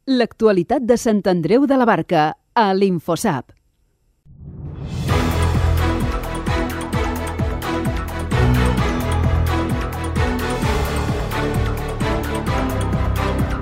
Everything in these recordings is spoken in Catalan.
L'actualitat de Sant Andreu de la Barca, a l'Infosap.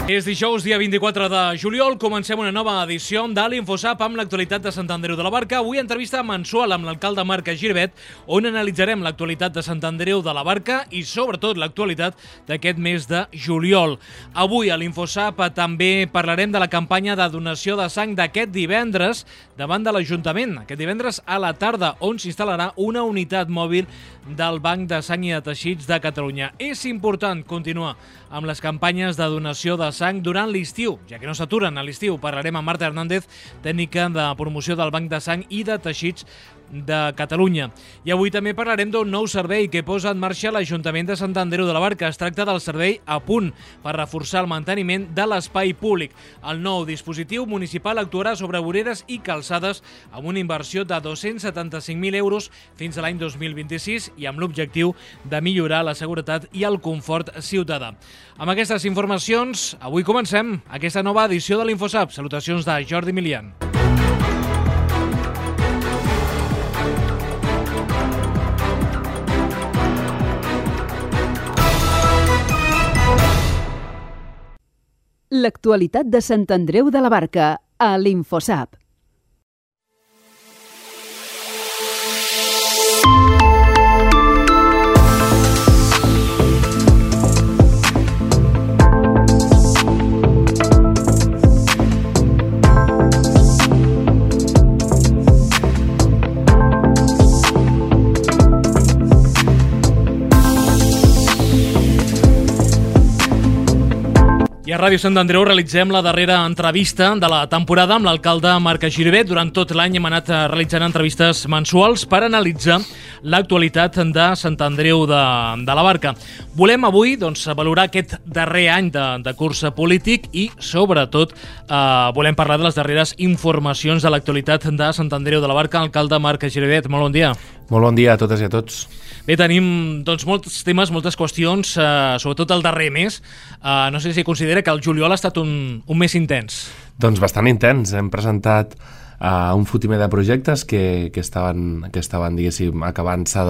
És dijous, dia 24 de juliol. Comencem una nova edició de l'Infosap amb l'actualitat de Sant Andreu de la Barca. Avui entrevista mensual amb l'alcalde Marc Giribet, on analitzarem l'actualitat de Sant Andreu de la Barca i sobretot l'actualitat d'aquest mes de juliol. Avui a l'Infosap també parlarem de la campanya de donació de sang d'aquest divendres davant de l'Ajuntament. Aquest divendres a la tarda, on s'instal·larà una unitat mòbil del Banc de Sang i de Teixits de Catalunya. És important continuar amb les campanyes de donació de sang durant l'estiu, ja que no s'aturen a l'estiu. Parlarem amb Marta Hernández, tècnica de promoció del Banc de Sang i de Teixits de Catalunya. I avui també parlarem d'un nou servei que posa en marxa l'Ajuntament de Sant Andreu de la Barca. Es tracta del servei A Punt, per reforçar el manteniment de l'espai públic. El nou dispositiu municipal actuarà sobre voreres i calçades amb una inversió de 275.000 euros fins a l'any 2026 i amb l'objectiu de millorar la seguretat i el confort ciutadà. Amb aquestes informacions, avui comencem aquesta nova edició de l'Infosap. Salutacions de Jordi Milian. L'actualitat de Sant Andreu de la Barca, a l'Infosap. I a Ràdio Sant Andreu realitzem la darrera entrevista de la temporada amb l'alcalde Marc Giribet. Durant tot l'any hem anat realitzant entrevistes mensuals per analitzar l'actualitat de Sant Andreu de la Barca. Volem avui valorar aquest darrer any de curs polític i, sobretot, volem parlar de les darreres informacions de l'actualitat de Sant Andreu de la Barca. Alcalde Marc Giribet, molt bon dia. Molt bon dia a totes i a tots. Bé, tenim molts temes, moltes qüestions, sobretot el darrer mes. No sé si considera que el juliol ha estat un mes intens. Doncs bastant intens. Hem presentat un fotimer de projectes que estaven diguéssim, acabant-se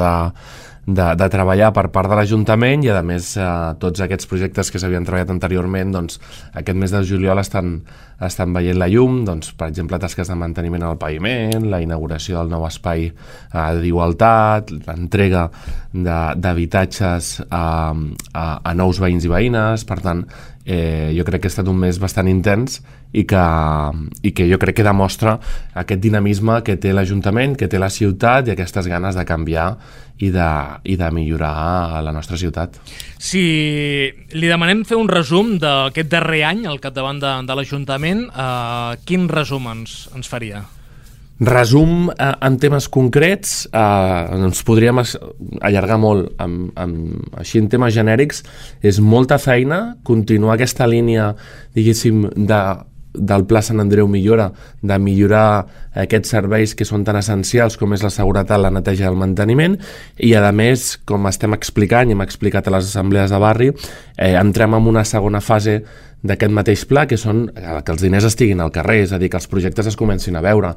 de treballar per part de l'Ajuntament i, a més, tots aquests projectes que s'havien treballat anteriorment, aquest mes de juliol estan veient la llum, per exemple, tasques de manteniment al paviment, la inauguració del nou espai d'igualtat, l'entrega d'habitatges a nous veïns i veïnes. Per tant, jo crec que ha estat un mes bastant intens i que jo crec que demostra aquest dinamisme que té l'Ajuntament, que té la ciutat i aquestes ganes de canviar i de millorar la nostra ciutat. Si li demanem fer un resum d'aquest darrer any al capdavant de l'Ajuntament, quin resum ens faria? Resum en temes concrets, ens podríem allargar molt, així en temes genèrics, és molta feina, continuar aquesta línia, diguéssim, del Pla Sant Andreu Millora, de millorar aquests serveis que són tan essencials com és la seguretat, la neteja i el manteniment, i a més, com estem explicant i hem explicat a les assemblees de barri, entrem en una segona fase d'aquest mateix pla, que són que els diners estiguin al carrer, és a dir, que els projectes es comencin a veure,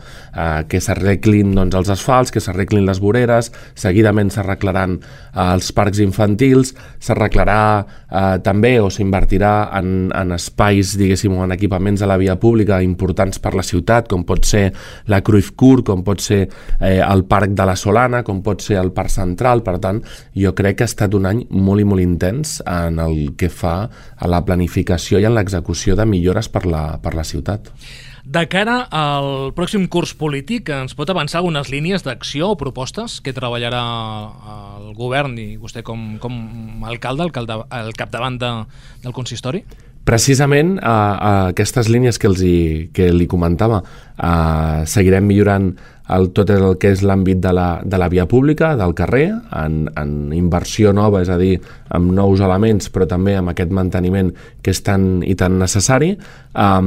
que s'arreglin els asfalts, que s'arreglin les voreres, seguidament s'arreglaran els parcs infantils, s'arreglarà també o s'invertirà en espais, diguéssim, o en equipaments a la via pública importants per la ciutat, com pot ser la Cruyff Court, com pot ser el Parc de la Solana, com pot ser el Parc Central. Per tant, jo crec que ha estat un any molt i molt intens en el que fa a la planificació i en l'execució de millores per la ciutat. De cara al pròxim curs polític, ens pot avançar algunes línies d'acció o propostes que treballarà el govern i vostè com a alcalde al capdavant del consistori? Precisament aquestes línies que li comentava, seguirem millorant tot el que és l'àmbit de la via pública, del carrer, en inversió nova, és a dir, amb nous elements, però també amb aquest manteniment que és tan i tan necessari. A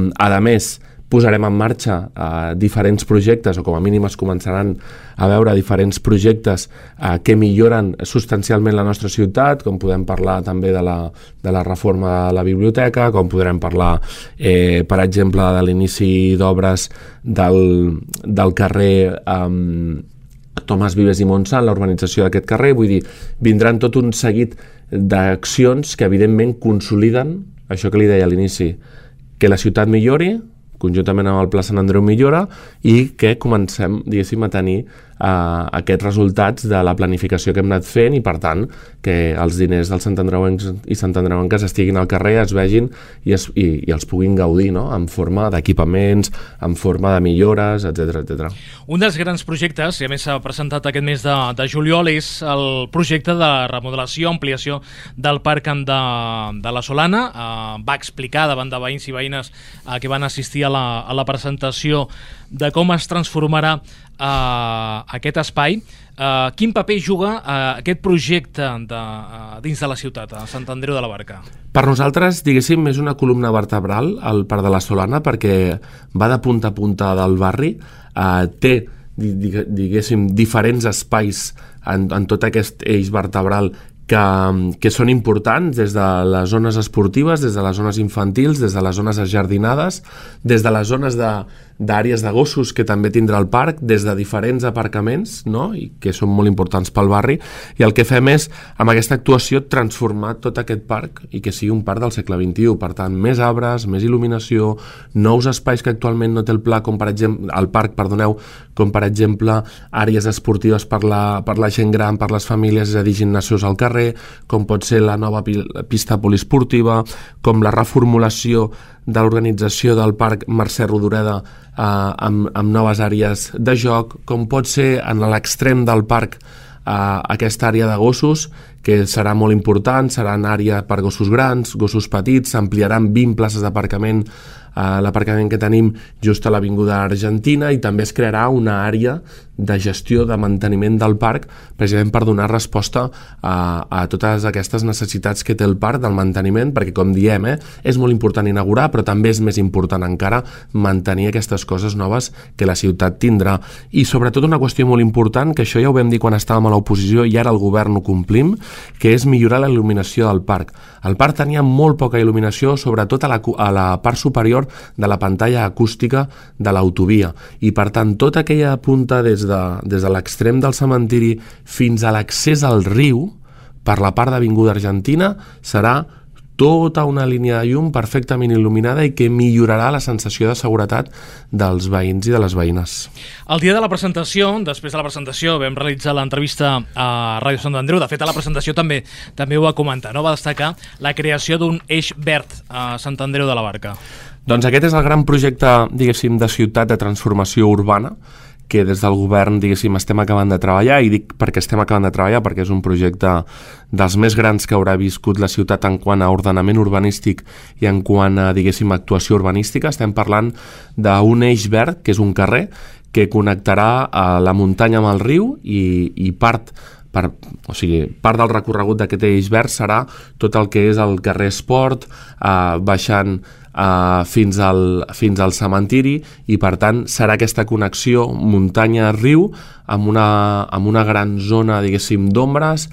més, posarem en marxa diferents projectes, o com a mínim es començaran a veure diferents projectes que milloren substancialment la nostra ciutat, com podem parlar també de la reforma de la biblioteca, com podrem parlar, per exemple, de l'inici d'obres del carrer Tomàs Vives i Montsant, la urbanització d'aquest carrer. Vull dir, vindran tot un seguit d'accions que evidentment consoliden això que li deia a l'inici, que la ciutat millori, conjuntament amb el Pla Sant Andreu millora, i que comencem, diguéssim, a tenir aquests resultats de la planificació que hem anat fent, i per tant que els diners dels santandreuencs i santandreuenques estiguin al carrer, es vegin i els puguin gaudir, no? En forma d'equipaments, en forma de millores, etc. Un dels grans projectes, i a més s'ha presentat aquest mes de juliol, és el projecte de remodelació, ampliació del parc de la Solana. Va explicar davant de veïns i veïnes que van assistir a la presentació de com es transformarà aquest espai. Quin paper juga aquest projecte dins de la ciutat, a Sant Andreu de la Barca? Per nosaltres, diguéssim, és una columna vertebral al Parc de la Solana, perquè va de punta a punta del barri, té, diguéssim, diferents espais en tot aquest eix vertebral que són importants, des de les zones esportives, des de les zones infantils, des de les zones ajardinades, des de les zones d'àrees de gossos que també tindrà el parc, des de diferents aparcaments, no? I que són molt importants pel barri, i el que fem és, amb aquesta actuació, transformar tot aquest parc i que sigui un parc del segle XXI. Per tant, més arbres, més il·luminació, nous espais que actualment no té el parc, com per exemple àrees esportives per la gent gran, per les famílies, és a dir, gimnasos al carrer, com pot ser la nova pista poliesportiva, com la reformulació de l'organització del parc Mercè Rodoreda amb noves àrees de joc, com pot ser en l'extrem del parc aquesta àrea de gossos, que serà molt important, serà una àrea per gossos grans, gossos petits, s'ampliaran 20 places d'aparcament, l'aparcament que tenim just a l'Avinguda Argentina, i també es crearà una àrea de gestió, de manteniment del parc, precisament per donar resposta a totes aquestes necessitats que té el parc del manteniment, perquè, com diem, és molt important inaugurar, però també és més important encara mantenir aquestes coses noves que la ciutat tindrà. I sobretot una qüestió molt important, que això ja ho vam dir quan estàvem a l'oposició i ara el govern ho complim, que és millorar la il·luminació del parc. El parc tenia molt poca il·luminació, sobretot a la part superior de la pantalla acústica de l'autovia, i per tant tota aquella punta des de l'extrem del cementiri fins a l'accés al riu per la part d'Avinguda Argentina serà tota una línia de llum perfectament il·luminada i que millorarà la sensació de seguretat dels veïns i de les veïnes. El dia de la presentació, després de la presentació, vam realitzar l'entrevista a Ràdio Sant Andreu. De fet, a la presentació també ho va comentar, no? Va destacar la creació d'un eix verd a Sant Andreu de la Barca. Doncs aquest és el gran projecte, diguéssim, de ciutat de transformació urbana que des del govern, diguéssim, estem acabant de treballar, i dic perquè estem acabant de treballar perquè és un projecte dels més grans que haurà viscut la ciutat en quant a ordenament urbanístic i en quant a, diguéssim, actuació urbanística. Estem parlant d'un eix verd, que és un carrer, que connectarà la muntanya amb el riu, i part del recorregut d'aquest eix verd serà tot el que és el carrer Esport, baixant fins al cementiri, i per tant serà aquesta connexió muntanya-riu amb una gran zona, diguéssim, d'ombres,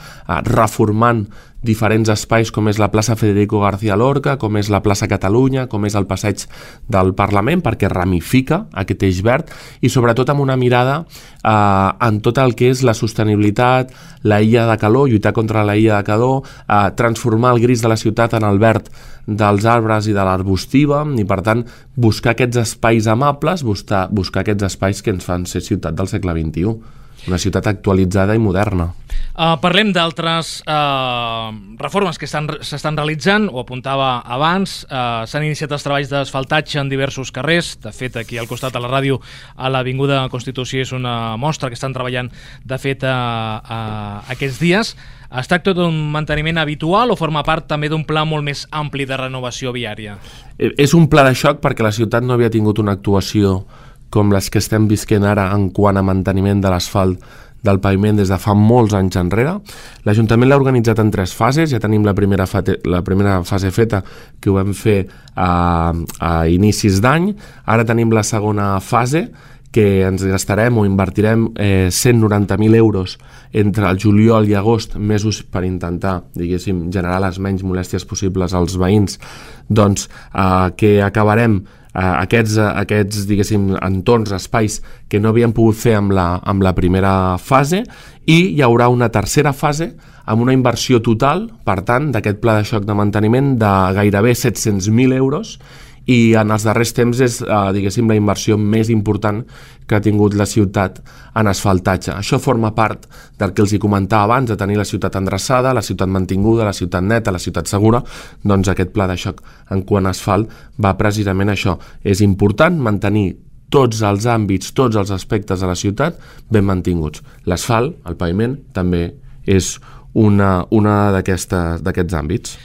reformant diferents espais com és la plaça Federico García Lorca, com és la plaça Catalunya, com és el passeig del Parlament, perquè ramifica aquest eix verd, i sobretot amb una mirada en tot el que és la sostenibilitat, la illa de calor, lluitar contra la illa de calor, transformar el gris de la ciutat en el verd dels arbres i de l'arbustiva, i per tant buscar aquests espais amables, buscar aquests espais que ens fan ser ciutat del segle XXI, una ciutat actualitzada i moderna. Parlem d'altres reformes que s'estan realitzant, ho apuntava abans. S'han iniciat els treballs d'asfaltatge en diversos carrers. De fet, aquí al costat de la ràdio, a l'Avinguda Constitució, és una mostra que estan treballant, de fet, aquests dies. Es tracta d'un manteniment habitual o forma part també d'un pla molt més ampli de renovació viària? És un pla de xoc perquè la ciutat no havia tingut una actuació com les que estem visquent ara en quant a manteniment de l'asfalt del paviment des de fa molts anys enrere. L'Ajuntament l'ha organitzat en 3 fases, ja tenim la primera fase feta, que ho vam fer a inicis d'any, ara tenim la segona fase, que ens gastarem o invertirem 190.000 euros entre el juliol i agost, mesos per intentar, diguéssim, generar les menys molèsties possibles als veïns, doncs que acabarem aquests diguéssim, entorns, espais que no havíem pogut fer amb la primera fase, i hi haurà una tercera fase amb una inversió total, per tant, d'aquest pla de xoc de manteniment de gairebé 700.000 euros, i en els darrers temps és, diguéssim, la inversió més important que ha tingut la ciutat en asfaltatge. Això forma part del que els hi comentava abans, de tenir la ciutat endreçada, la ciutat mantinguda, la ciutat neta, la ciutat segura. Doncs aquest pla de xoc en quant a asfalt va precisament això. És important mantenir tots els àmbits, tots els aspectes de la ciutat ben mantinguts. L'asfalt, el paviment, també és una d'aquests àmbits.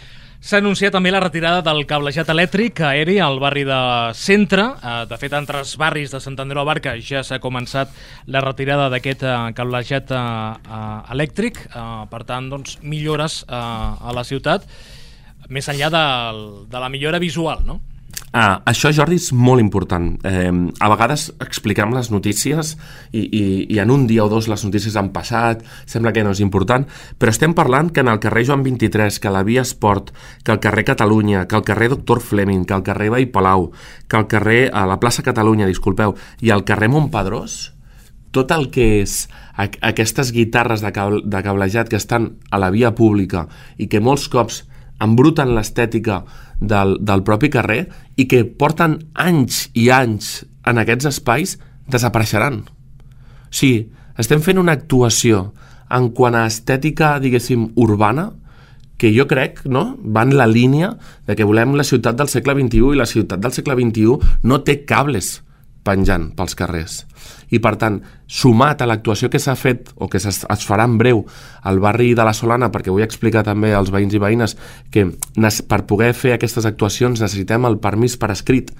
S'ha anunciat també la retirada del cablejat elèctric aeri al barri de Centre. De fet, entre els barris de Sant Andreu de la Barca ja s'ha començat la retirada d'aquest cablejat elèctric. Per tant, doncs, millores a la ciutat, més enllà de la millora visual, no? Això, Jordi, és molt important. A vegades expliquem les notícies i en un dia o dos les notícies han passat, sembla que no és important, però estem parlant que en el carrer Joan 23, que la Via Esport, que el carrer Catalunya, que el carrer Doctor Fleming, que el carrer Vall Palau, que el carrer a la plaça Catalunya, disculpeu, i el carrer Montpedrós, tot el que és aquestes guitarres de cablejat que estan a la via pública i que molts cops embruten l'estètica del propi carrer i que porten anys i anys en aquests espais, desapareixeran. O sigui, estem fent una actuació en quant a estètica, diguéssim, urbana, que jo crec, no?, va en la línia de que volem la ciutat del segle XXI, i la ciutat del segle XXI no té cables penjant pels carrers. I, per tant, sumat a l'actuació que s'ha fet o que es farà en breu al barri de la Solana, perquè vull explicar també als veïns i veïnes que per poder fer aquestes actuacions necessitem el permís per escrit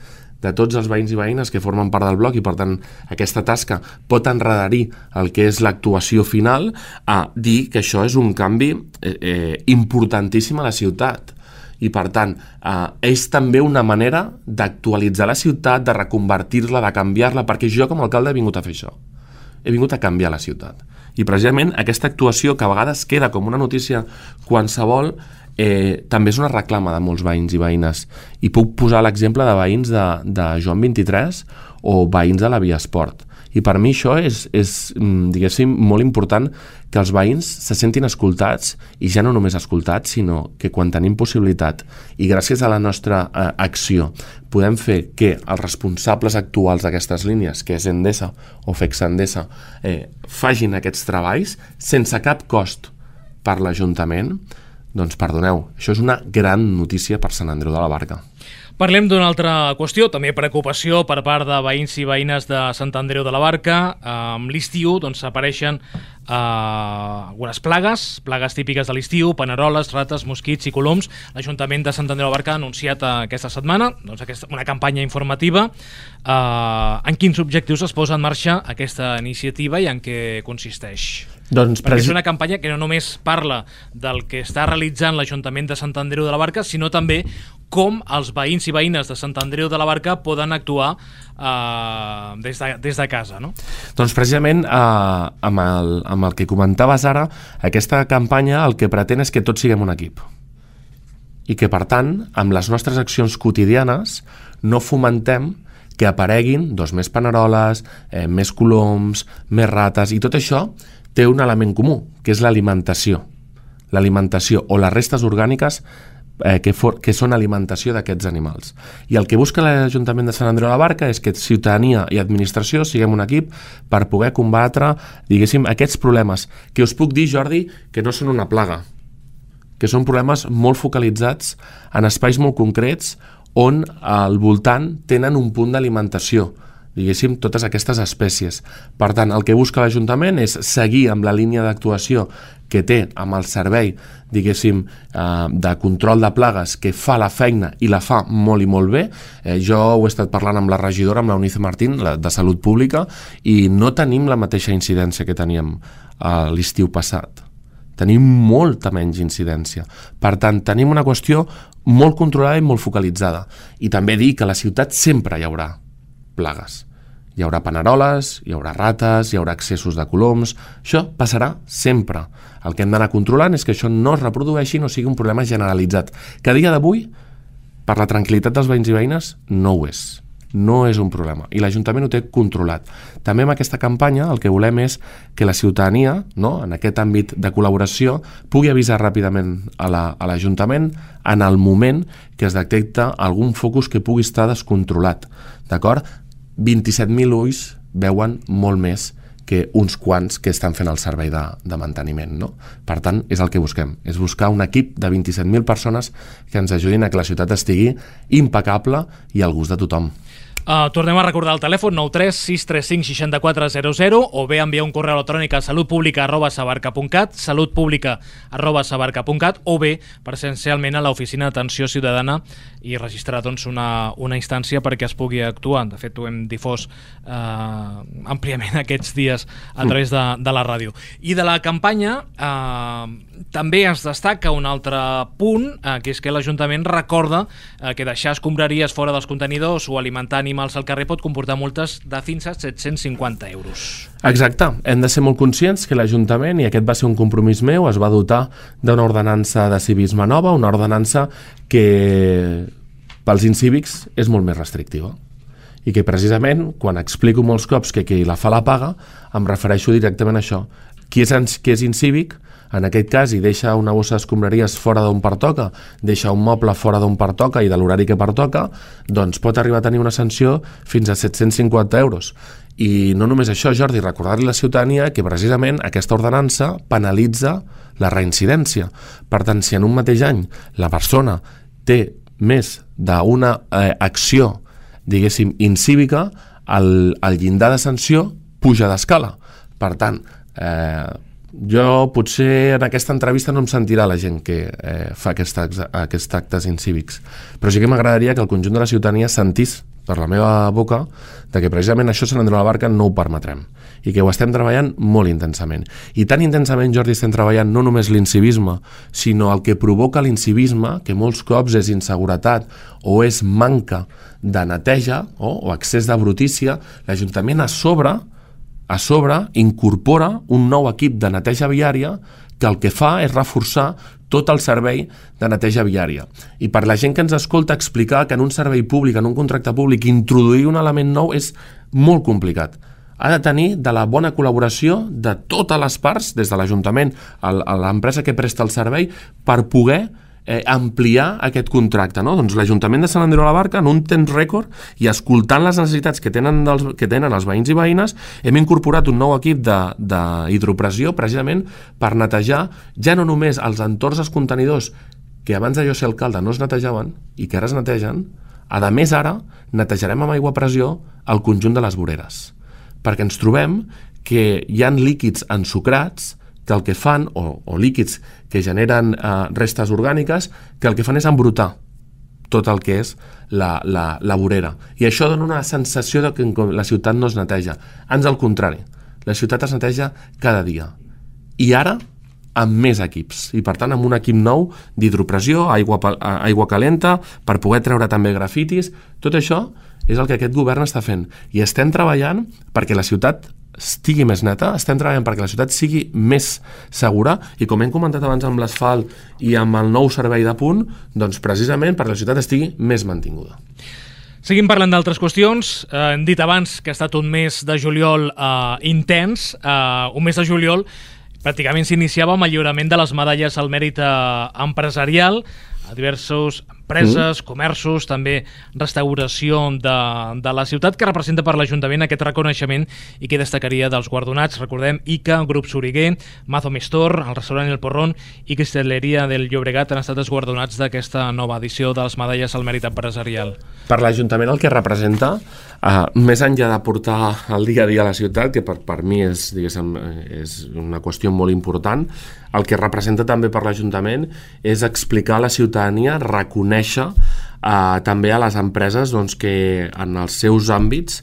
de tots els veïns i veïnes que formen part del bloc, i per tant aquesta tasca pot enredarir el que és l'actuació final, a dir que això és un canvi importantíssim a la ciutat. I, per tant, és també una manera d'actualitzar la ciutat, de reconvertir-la, de canviar-la, perquè jo com a alcalde he vingut a fer això. He vingut a canviar la ciutat. I precisament aquesta actuació, que a vegades queda com una notícia qualsevol, també és una reclama de molts veïns i veïnes. I puc posar l'exemple de veïns de Joan 23 o veïns de la Via Esport. I per mi això és, diguéssim, molt important, que els veïns se sentin escoltats, i ja no només escoltats, sinó que quan tenim possibilitat i gràcies a la nostra acció podem fer que els responsables actuals d'aquestes línies, que és Endesa o FECSA Endesa, facin aquests treballs sense cap cost per l'Ajuntament, doncs perdoneu, això és una gran notícia per Sant Andreu de la Barca. Parlem d'una altra qüestió, també preocupació per part de veïns i veïnes de Sant Andreu de la Barca. Amb l'estiu apareixen algunes plagues típiques de l'estiu, paneroles, rates, mosquits i coloms. L'Ajuntament de Sant Andreu de la Barca ha anunciat aquesta setmana una campanya informativa. En quins objectius es posa en marxa aquesta iniciativa i en què consisteix? Perquè és una campanya que no només parla del que està realitzant l'Ajuntament de Sant Andreu de la Barca, sinó també com els veïns i veïnes de Sant Andreu de la Barca poden actuar des de casa, no? Doncs precisament amb el que comentaves ara, aquesta campanya el que pretén és que tots siguem un equip. I que, per tant, amb les nostres accions quotidianes no fomentem que apareguin més paneroles, més coloms, més rates, i tot això té un element comú, que és l'alimentació. L'alimentació o les restes orgàniques que són alimentació d'aquests animals. I el que busca l'Ajuntament de Sant Andreu de la Barca és que ciutadania i administració siguem un equip per poder combatre, diguéssim, aquests problemes, que us puc dir, Jordi, que no són una plaga, que són problemes molt focalitzats en espais molt concrets on al voltant tenen un punt d'alimentació diguéssim, totes aquestes espècies. Per tant, el que busca l'Ajuntament és seguir amb la línia d'actuació que té amb el servei, diguéssim, de control de plagues, que fa la feina i la fa molt i molt bé. Jo ho he estat parlant amb la regidora, amb l'Eunice Martín, de Salut Pública, i no tenim la mateixa incidència que teníem l'estiu passat. Tenim molta menys incidència. Per tant, tenim una qüestió molt controlada i molt focalitzada. I també dir que a la ciutat sempre hi haurà plagues. Hi haurà paneroles, hi haurà rates, hi haurà excessos de coloms. Això passarà sempre. El que hem d'anar controlant és que això no es reprodueixi, no sigui un problema generalitzat. Que a dia d'avui, per la tranquil·litat dels veïns i veïnes, no ho és. No és un problema. I l'Ajuntament ho té controlat. També amb aquesta campanya el que volem és que la ciutadania, no, en aquest àmbit de col·laboració, pugui avisar ràpidament a l'Ajuntament en el moment que es detecta algun focus que pugui estar descontrolat. D'acord? 27.000 ulls veuen molt més que uns quants que estan fent el servei de manteniment, no? Per tant, és el que busquem, és buscar un equip de 27.000 persones que ens ajudin a que la ciutat estigui impecable i al gust de tothom. Tornem a recordar el telèfon 93 635 6400 o bé enviar un correu electrònic a salutpublica@sabarca.cat, salutpublica@sabarca.cat, o bé presencialment a l'oficina d'atenció ciutadana i registrar una instància perquè es pugui actuar. De fet, ho hem difós àmpliament aquests dies a través de la ràdio. I de la campanya també es destaca un altre punt, que és que l'Ajuntament recorda que deixar escombraries fora dels contenidors o alimentar animals al carrer pot comportar multes de fins a 750 euros. Exacte. Hem de ser molt conscients que l'Ajuntament, i aquest va ser un compromís meu, es va dotar d'una ordenança de civisme nova, una ordenança que pels incívics és molt més restrictiva. I que precisament, quan explico molts cops que qui la fa la paga, em refereixo directament a això. Qui és incívic, en aquest cas, i deixa una bossa d'escombraries fora d'on pertoca, deixa un moble fora d'on pertoca i de l'horari que pertoca, doncs pot arribar a tenir una sanció fins a 750 euros. I no només això, Jordi, recordar-li a la ciutadania que precisament aquesta ordenança penalitza la reincidència. Per tant, si en un mateix any la persona té més d'una acció, diguéssim, incívica, el llindar de sanció puja d'escala. Per tant, jo potser en aquesta entrevista no em sentirà la gent que fa aquests actes incívics, però sí que m'agradaria que el conjunt de la ciutadania sentís per la meva boca de que precisament això Sant Andreu de la Barca no ho permetrem i que ho estem treballant molt intensament. I tan intensament, Jordi, estem treballant no només l'incivisme, sinó el que provoca l'incivisme, que molts cops és inseguretat o és manca de neteja o excés de brutícia. L'Ajuntament a sobre incorpora un nou equip de neteja viària que el que fa és reforçar tot el servei de neteja viària. I per la gent que ens escolta, explicar que en un servei públic, en un contracte públic, introduir un element nou és molt complicat. Ha de tenir de la bona col·laboració de totes les parts, des de l'Ajuntament a l'empresa que presta el servei, per poder ampliar aquest contracte, no? Doncs l'Ajuntament de Sant Andreu de la Barca, en un temps rècord i escoltant les necessitats que tenen els veïns i veïnes, hem incorporat un nou equip d'hidropressió precisament per netejar ja no només els entorns dels contenidors que abans de jo ser alcalde no es netejaven i que ara es netegen. A més, ara netejarem amb aigua a pressió el conjunt de les voreres, perquè ens trobem que hi ha líquids ensucrats que el que fan, o líquids que generen restes orgàniques, que el que fan és embrutar tot el que és la vorera. I això dona una sensació de que la ciutat no es neteja. Ans al contrari, la ciutat es neteja cada dia. I ara, amb més equips. I per tant, amb un equip nou d'hidropressió, aigua calenta, per poder treure també grafitis. Tot això és el que aquest govern està fent. I estem treballant perquè la ciutat estigui més neta, estem treballant perquè la ciutat sigui més segura i, com hem comentat abans amb l'asfalt i amb el nou servei de punt, doncs precisament perquè la ciutat estigui més mantinguda. Seguim parlant d'altres qüestions. Hem dit abans que ha estat un mes de juliol intens, un mes de juliol pràcticament s'iniciava amb el lliurament de les medalles al mèrit empresarial a diverses empreses, comerços, també restauració de la ciutat, que representa per l'Ajuntament aquest reconeixement i que destacaria dels guardonats. Recordem, ICA, Grup Soriguer, Mazo Mistor, el restaurant El Porrón i Cristaleria del Llobregat han estat els guardonats d'aquesta nova edició de les medalles al mèrit empresarial. Per l'Ajuntament el que representa Més enllà de portar el dia a dia a la ciutat, que per mi és una qüestió molt important, el que representa també per l'Ajuntament és explicar a la ciutadania, reconèixer també a les empreses que en els seus àmbits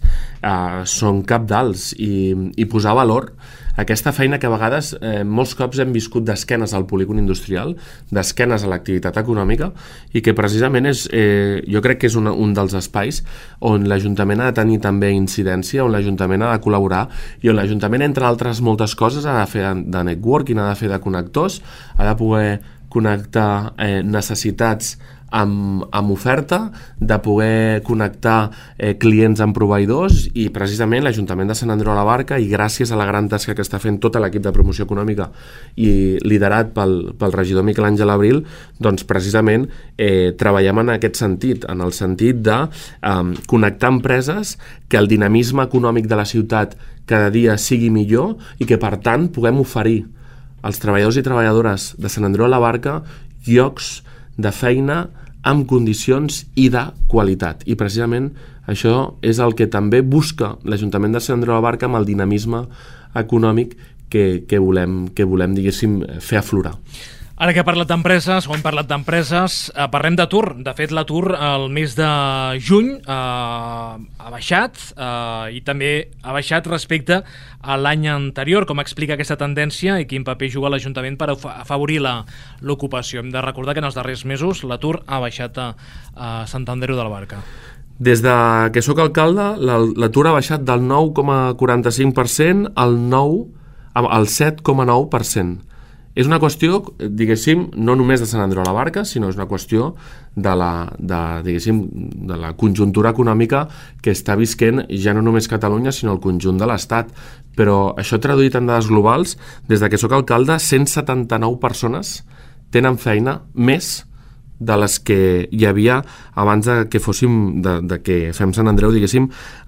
són cabdals i posar valor aquesta feina que a vegades molts cops hem viscut d'esquenes al polígon industrial, d'esquenes a l'activitat econòmica, i que precisament jo crec que és un dels espais on l'Ajuntament ha de tenir també incidència, on l'Ajuntament ha de col·laborar i on l'Ajuntament, entre altres moltes coses, ha de fer de networking, ha de fer de connectors, ha de poder connectar necessitats amb oferta, de poder connectar clients amb proveïdors, i precisament l'Ajuntament de Sant Andreu de la Barca, i gràcies a la gran tasca que està fent tot l'equip de promoció econòmica i liderat pel regidor Miquel Àngel Abril, doncs precisament treballem en aquest sentit, en el sentit de connectar empreses, que el dinamisme econòmic de la ciutat cada dia sigui millor i que per tant puguem oferir als treballadors i treballadores de Sant Andreu de la Barca llocs de feina amb condicions i de qualitat. I precisament això és el que també busca l'Ajuntament de Sant Andreu de la Barca amb el dinamisme econòmic que volem, diguéssim, fer aflorar. Ara que he parlat d'empreses, o hem parlat d'empreses, parlem d'atur. De fet, l'atur el mes de juny ha baixat i també ha baixat respecte a l'any anterior. Com explica aquesta tendència i quin paper juga l'Ajuntament per afavorir l'ocupació? Hem de recordar que en els darrers mesos l'atur ha baixat a Sant Andreu de la Barca. Des de que sóc alcalde, l'atur ha baixat del 9,45% al 7,9%. És una qüestió, diguéssim, no només de Sant Andreu de la Barca, sinó és una qüestió de la conjuntura econòmica que està visquent ja no només Catalunya, sinó el conjunt de l'Estat. Però això traduït en dades globals, des de que sóc alcalde, 179 persones tenen feina més de les que hi havia abans de que fem Sant Andreu, diguéssim,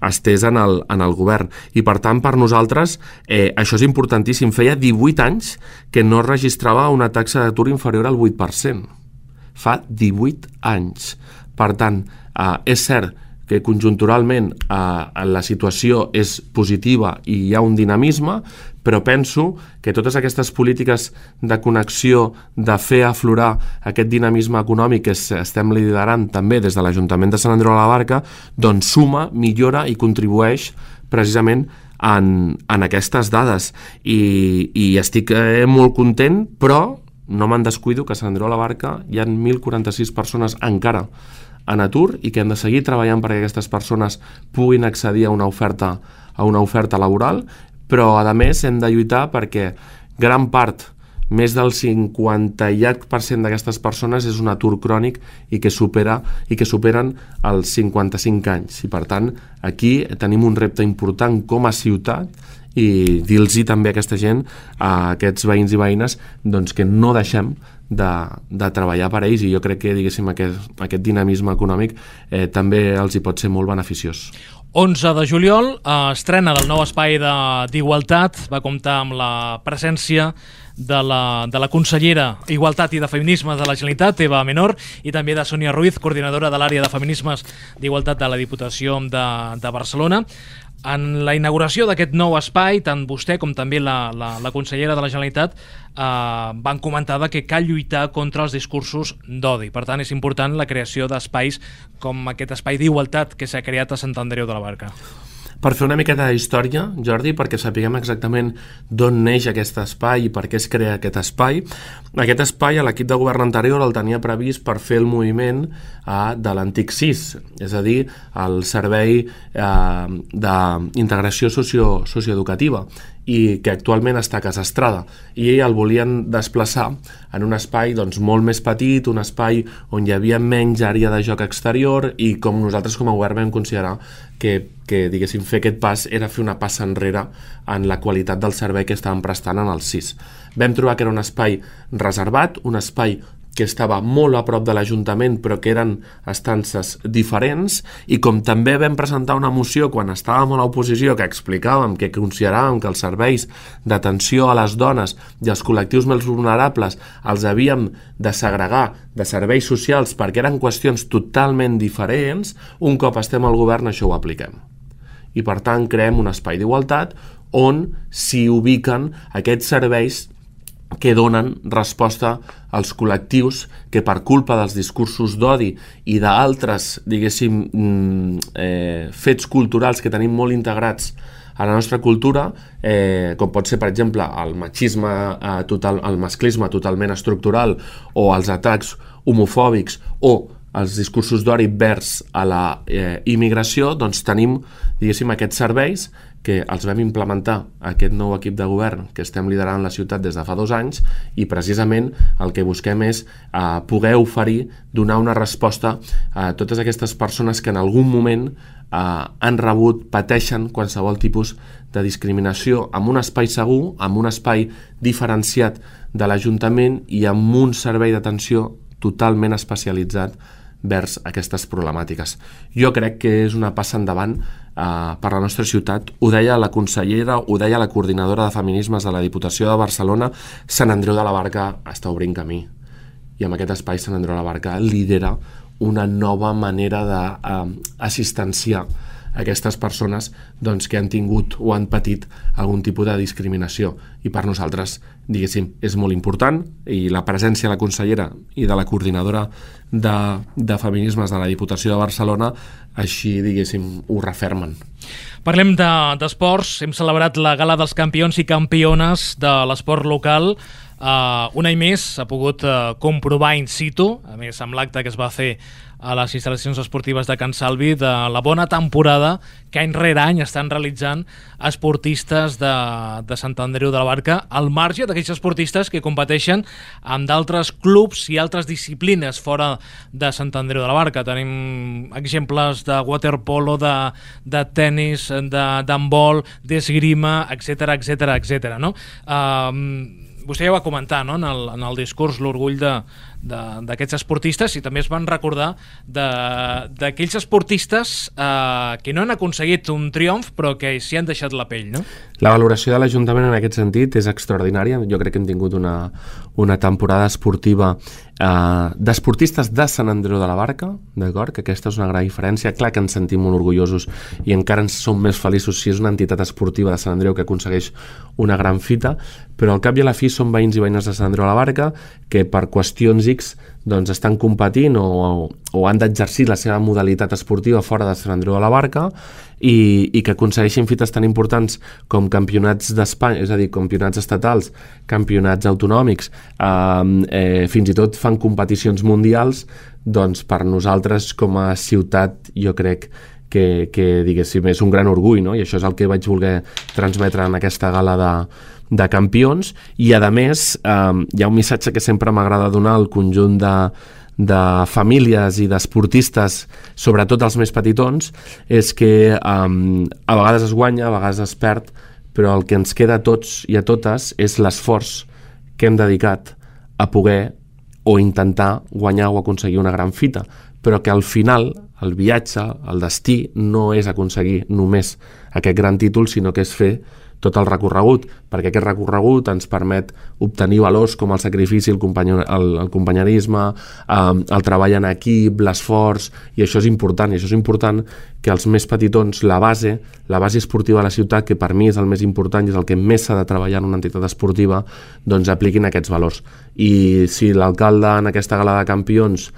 estés en el govern. I per tant, per nosaltres, això és importantíssim. Feia 18 anys que no es registrava una taxa d'atur inferior al 8%. Fa 18 anys. Per tant, és cert que conjunturalment la situació és positiva i hi ha un dinamisme, però penso que totes aquestes polítiques de connexió, de fer aflorar aquest dinamisme econòmic que estem liderant també des de l'Ajuntament de Sant Andreu de la Barca, doncs suma, millora i contribueix precisament en aquestes dades. I estic molt content, però no me'n descuido que a Sant Andreu de la Barca hi ha 1.046 persones encara en atur i que hem de seguir treballant perquè aquestes persones puguin accedir a una oferta laboral, però a més hem de lluitar perquè gran part, més del 50% d'aquestes persones és un atur crònic i que superen els 55 anys. I per tant, aquí tenim un repte important com a ciutat i dir-los també a aquesta gent, a aquests veïns i veïnes, doncs que no deixem de treballar per ells, i jo crec que, diguéssim, aquest dinamisme econòmic també els hi pot ser molt beneficiós. 11 de juliol, estrena del nou espai d'Igualtat, va comptar amb la presència de la consellera Igualtat i de Feminismes de la Generalitat, Eva Menor, i també de Sònia Ruiz, coordinadora de l'àrea de Feminismes d'Igualtat de la Diputació de Barcelona. En la inauguració d'aquest nou espai, tant vostè com també la consellera de la Generalitat van comentar que cal lluitar contra els discursos d'odi. Per tant, és important la creació d'espais com aquest espai d'igualtat que s'ha creat a Sant Andreu de la Barca. Per fer una miqueta d'història, Jordi, perquè sapiguem exactament d'on neix aquest espai i per què es crea aquest espai. Aquest espai, l'equip de govern anterior el tenia previst per fer el moviment de l'antic SIS, és a dir, el Servei d'Integració Socioeducativa, i que actualment està a Casa Estrada, i el volien desplaçar en un espai molt més petit, un espai on hi havia menys àrea de joc exterior, i com nosaltres com a govern vam considerar que diguéssim, fer aquest pas era fer una passa enrere en la qualitat del servei que estàvem prestant en el SIS. Vam trobar que era un espai reservat, un espai que estava molt a prop de l'Ajuntament però que eren estances diferents, i com també vam presentar una moció quan estàvem a l'oposició que explicàvem que consideràvem que els serveis d'atenció a les dones i als col·lectius més vulnerables els havíem de segregar de serveis socials perquè eren qüestions totalment diferents, un cop estem al govern això ho apliquem. i per tant creem un espai d'igualtat on s'hi ubiquen aquests serveis que donen resposta als col·lectius que per culpa dels discursos d'odi i d'altres, diguéssim, fets culturals que tenim molt integrats a la nostra cultura, com pot ser, per exemple, el masclisme totalment estructural o els atacs homofòbics o els discursos d'odi vers a la immigració, doncs tenim, diguéssim, aquests serveis que els vam implementar aquest nou equip de govern que estem liderant la ciutat des de fa 2 anys i precisament el que busquem és poder oferir, donar una resposta a totes aquestes persones que en algun moment han rebut, pateixen qualsevol tipus de discriminació amb un espai segur, amb un espai diferenciat de l'Ajuntament i amb un servei d'atenció totalment especialitzat vers aquestes problemàtiques. Jo crec que és una passa endavant per la nostra ciutat. Ho deia la consellera, ho deia la coordinadora de feminismes de la Diputació de Barcelona, Sant Andreu de la Barca està obrint camí. I amb aquest espai Sant Andreu de la Barca lidera una nova manera d'assistenciar aquestes persones doncs, que han tingut o han patit algun tipus de discriminació. I per nosaltres, diguéssim, és molt important i la presència de la consellera i de la coordinadora de feminismes de la Diputació de Barcelona així, diguéssim, ho refermen. Parlem d'esports. Hem celebrat la Gala dels Campions i Campiones de l'esport local. Un any més s'ha pogut comprovar in situ, a més amb l'acte que es va fer a les instal·lacions esportives de Can Salvi, de la bona temporada que any rere any estan realitzant esportistes de Sant Andreu de la Barca, al marge d'aquells esportistes que competeixen amb d'altres clubs i altres disciplines fora de Sant Andreu de la Barca. Tenim exemples de waterpolo, de tennis, d'handbol, d'esgrima, etc. No? Vostè ja va comentar, no? en el discurs l'orgull d'aquests esportistes i també es van recordar d'aquells esportistes que no han aconseguit un triomf però que s'hi han deixat la pell, no? La valoració de l'Ajuntament en aquest sentit és extraordinària. Jo crec que hem tingut una temporada esportiva d'esportistes de Sant Andreu de la Barca, d'acord? Que aquesta és una gran diferència. Clar que ens sentim molt orgullosos i encara ens som més feliços si és una entitat esportiva de Sant Andreu que aconsegueix una gran fita, però al cap i a la fi són veïns i veïnes de Sant Andreu de la Barca que per qüestions X doncs estan competint o han d'exercir la seva modalitat esportiva fora de Sant Andreu de la Barca i que aconsegueixin fites tan importants com campionats d'Espanya, és a dir, campionats estatals, campionats autonòmics, fins i tot fan competicions mundials, doncs per nosaltres com a ciutat jo crec que diguéssim és un gran orgull, no? I això és el que vaig voler transmetre en aquesta gala de campions i a més hi ha un missatge que sempre m'agrada donar al conjunt de famílies i d'esportistes, sobretot els més petitons, és que a vegades es guanya, a vegades es perd, però el que ens queda a tots i a totes és l'esforç que hem dedicat a poder o intentar guanyar o aconseguir una gran fita, però que al final el viatge, el destí, no és aconseguir només aquest gran títol, sinó que és fer tot el recorregut, perquè aquest recorregut ens permet obtenir valors com el sacrifici, el companyerisme, el treball en equip, l'esforç, i això és important, i això és important que els més petitons, la base esportiva de la ciutat, que per mi és el més important i és el que més s'ha de treballar en una entitat esportiva, doncs apliquin aquests valors. I si l'alcalde en aquesta gala de campions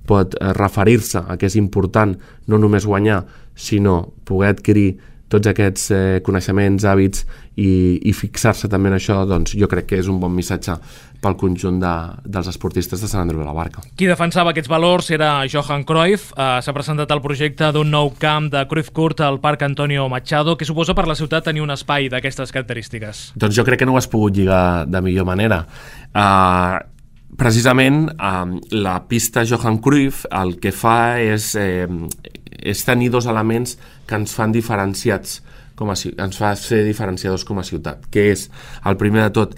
pot referir-se a que és important no només guanyar, sinó poder adquirir tots aquests coneixements, hàbits i fixar-se també en això, doncs jo crec que és un bon missatge pel conjunt dels esportistes de Sant Andreu de la Barca. Qui defensava aquests valors era Johan Cruyff. S'ha presentat el projecte d'un nou camp de Cruyff Court al Parc Antonio Machado. Què suposa per la ciutat tenir un espai d'aquestes característiques? Doncs jo crec que no ho has pogut lligar de millor manera. Precisament la pista Johan Cruyff el que fa és tenir dos elements que ens fan diferenciats, ens fa ser diferenciadors com a ciutat, que és, el primer de tot,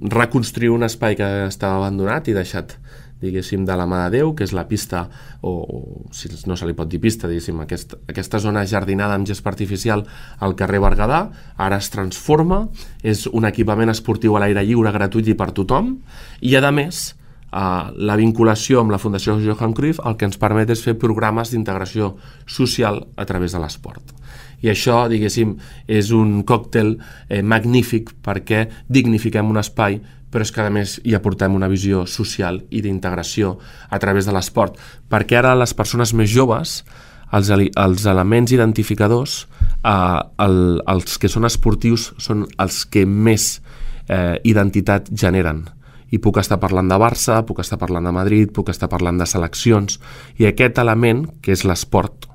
reconstruir un espai que estava abandonat i deixat, diguéssim, de la mà de Déu, que és la pista, o si no se li pot dir pista, diguéssim, aquesta zona jardinada amb gespa artificial al carrer Berguedà, ara es transforma, és un equipament esportiu a l'aire lliure, gratuït i per tothom, i a més la vinculació amb la Fundació Johan Cruyff el que ens permet és fer programes d'integració social a través de l'esport. I això, diguéssim, és un còctel magnífic perquè dignifiquem un espai, però és que a més hi aportem una visió social i d'integració a través de l'esport, perquè ara les persones més joves, els elements identificadors, els que són esportius són els que més identitat generen. I puc estar parlant de Barça, puc estar parlant de Madrid, puc estar parlant de seleccions, i aquest element, que és l'esport,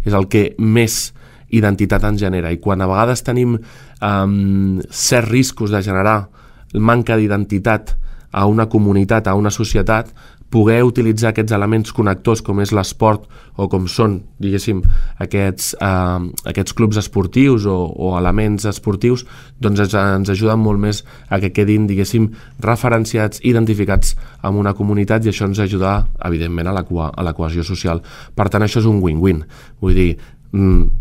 és el que més identitat ens genera. I quan a vegades tenim certs riscos de generar manca d'identitat a una comunitat, a una societat, poder utilitzar aquests elements connectors com és l'esport o com són, diguéssim, aquests clubs esportius o elements esportius, doncs ens ajuden molt més a que quedin, diguéssim, referenciats, identificats amb una comunitat, i això ens ajuda, evidentment, a la cohesió social. Per tant, això és un win-win. Vull dir,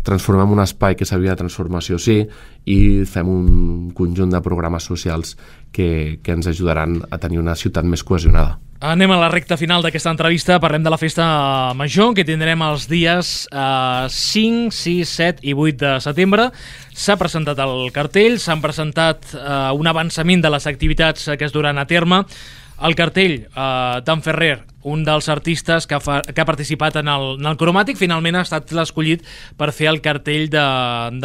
transformem un espai que s'havia de transformació, sí, i fem un conjunt de programes socials que ens ajudaran a tenir una ciutat més cohesionada. Anem a la recta final d'aquesta entrevista. Parlem de la festa major, que tindrem els dies 5, 6, 7 i 8 de setembre. S'ha presentat el cartell, s'han presentat un avançament de les activitats que es duran a terme. El cartell d'en Ferrer, un dels artistes que ha participat en el cromàtic, finalment ha estat l'escollit per fer el cartell de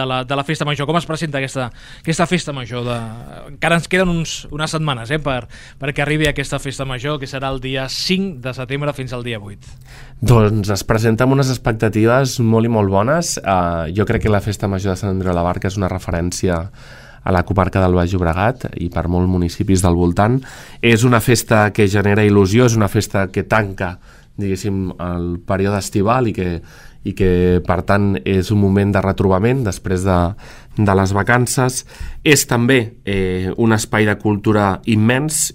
la festa major. Com es presenta aquesta festa major? Encara ens queden unes setmanes perquè arribi aquesta festa major, que serà el dia 5 de setembre fins al dia 8. Doncs es presenta amb unes expectatives molt i molt bones. Jo crec que la festa major de Sant Andreu de la Barca és una referència a la comarca del Baix Llobregat i per molts municipis del voltant. És una festa que genera il·lusió, és una festa que tanca, diguéssim, el període estival i que per tant és un moment de retrobament després de les vacances. És també un espai de cultura immens.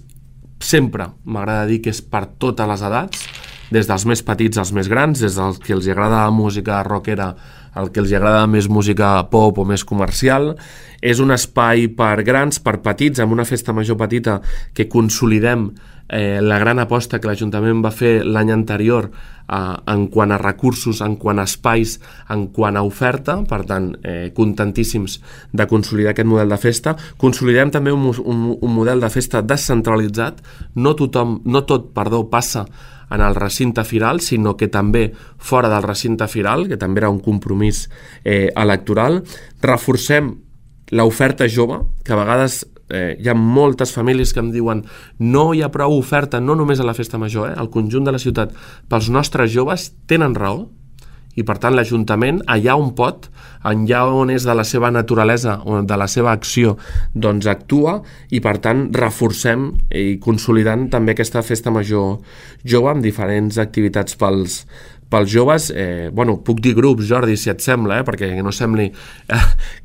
Sempre m'agrada dir que és per totes les edats, des dels més petits als més grans, des dels que els agrada la música rockera al que els agrada més música pop o més comercial. És un espai per grans, per petits, amb una festa major petita que consolidem la gran aposta que l'Ajuntament va fer l'any anterior en quant a recursos, en quant a espais, en quant a oferta. Per tant, contentíssims de consolidar aquest model de festa. Consolidem també un model de festa descentralitzat. No tot passa en el recinte firal, sinó que també fora del recinte firal, que també era un compromís electoral. Reforcem l'oferta jove, que a vegades hi ha moltes famílies que em diuen no hi ha prou oferta, no només a la festa major, al conjunt de la ciutat, pels nostres joves. Tenen raó, i per tant l'Ajuntament, allà on pot, allà on és de la seva naturalesa o de la seva acció, doncs actua, i per tant reforcem i consolidant també aquesta festa major jove amb diferents activitats pels joves. Puc dir grups, Jordi, si et sembla, perquè no sembli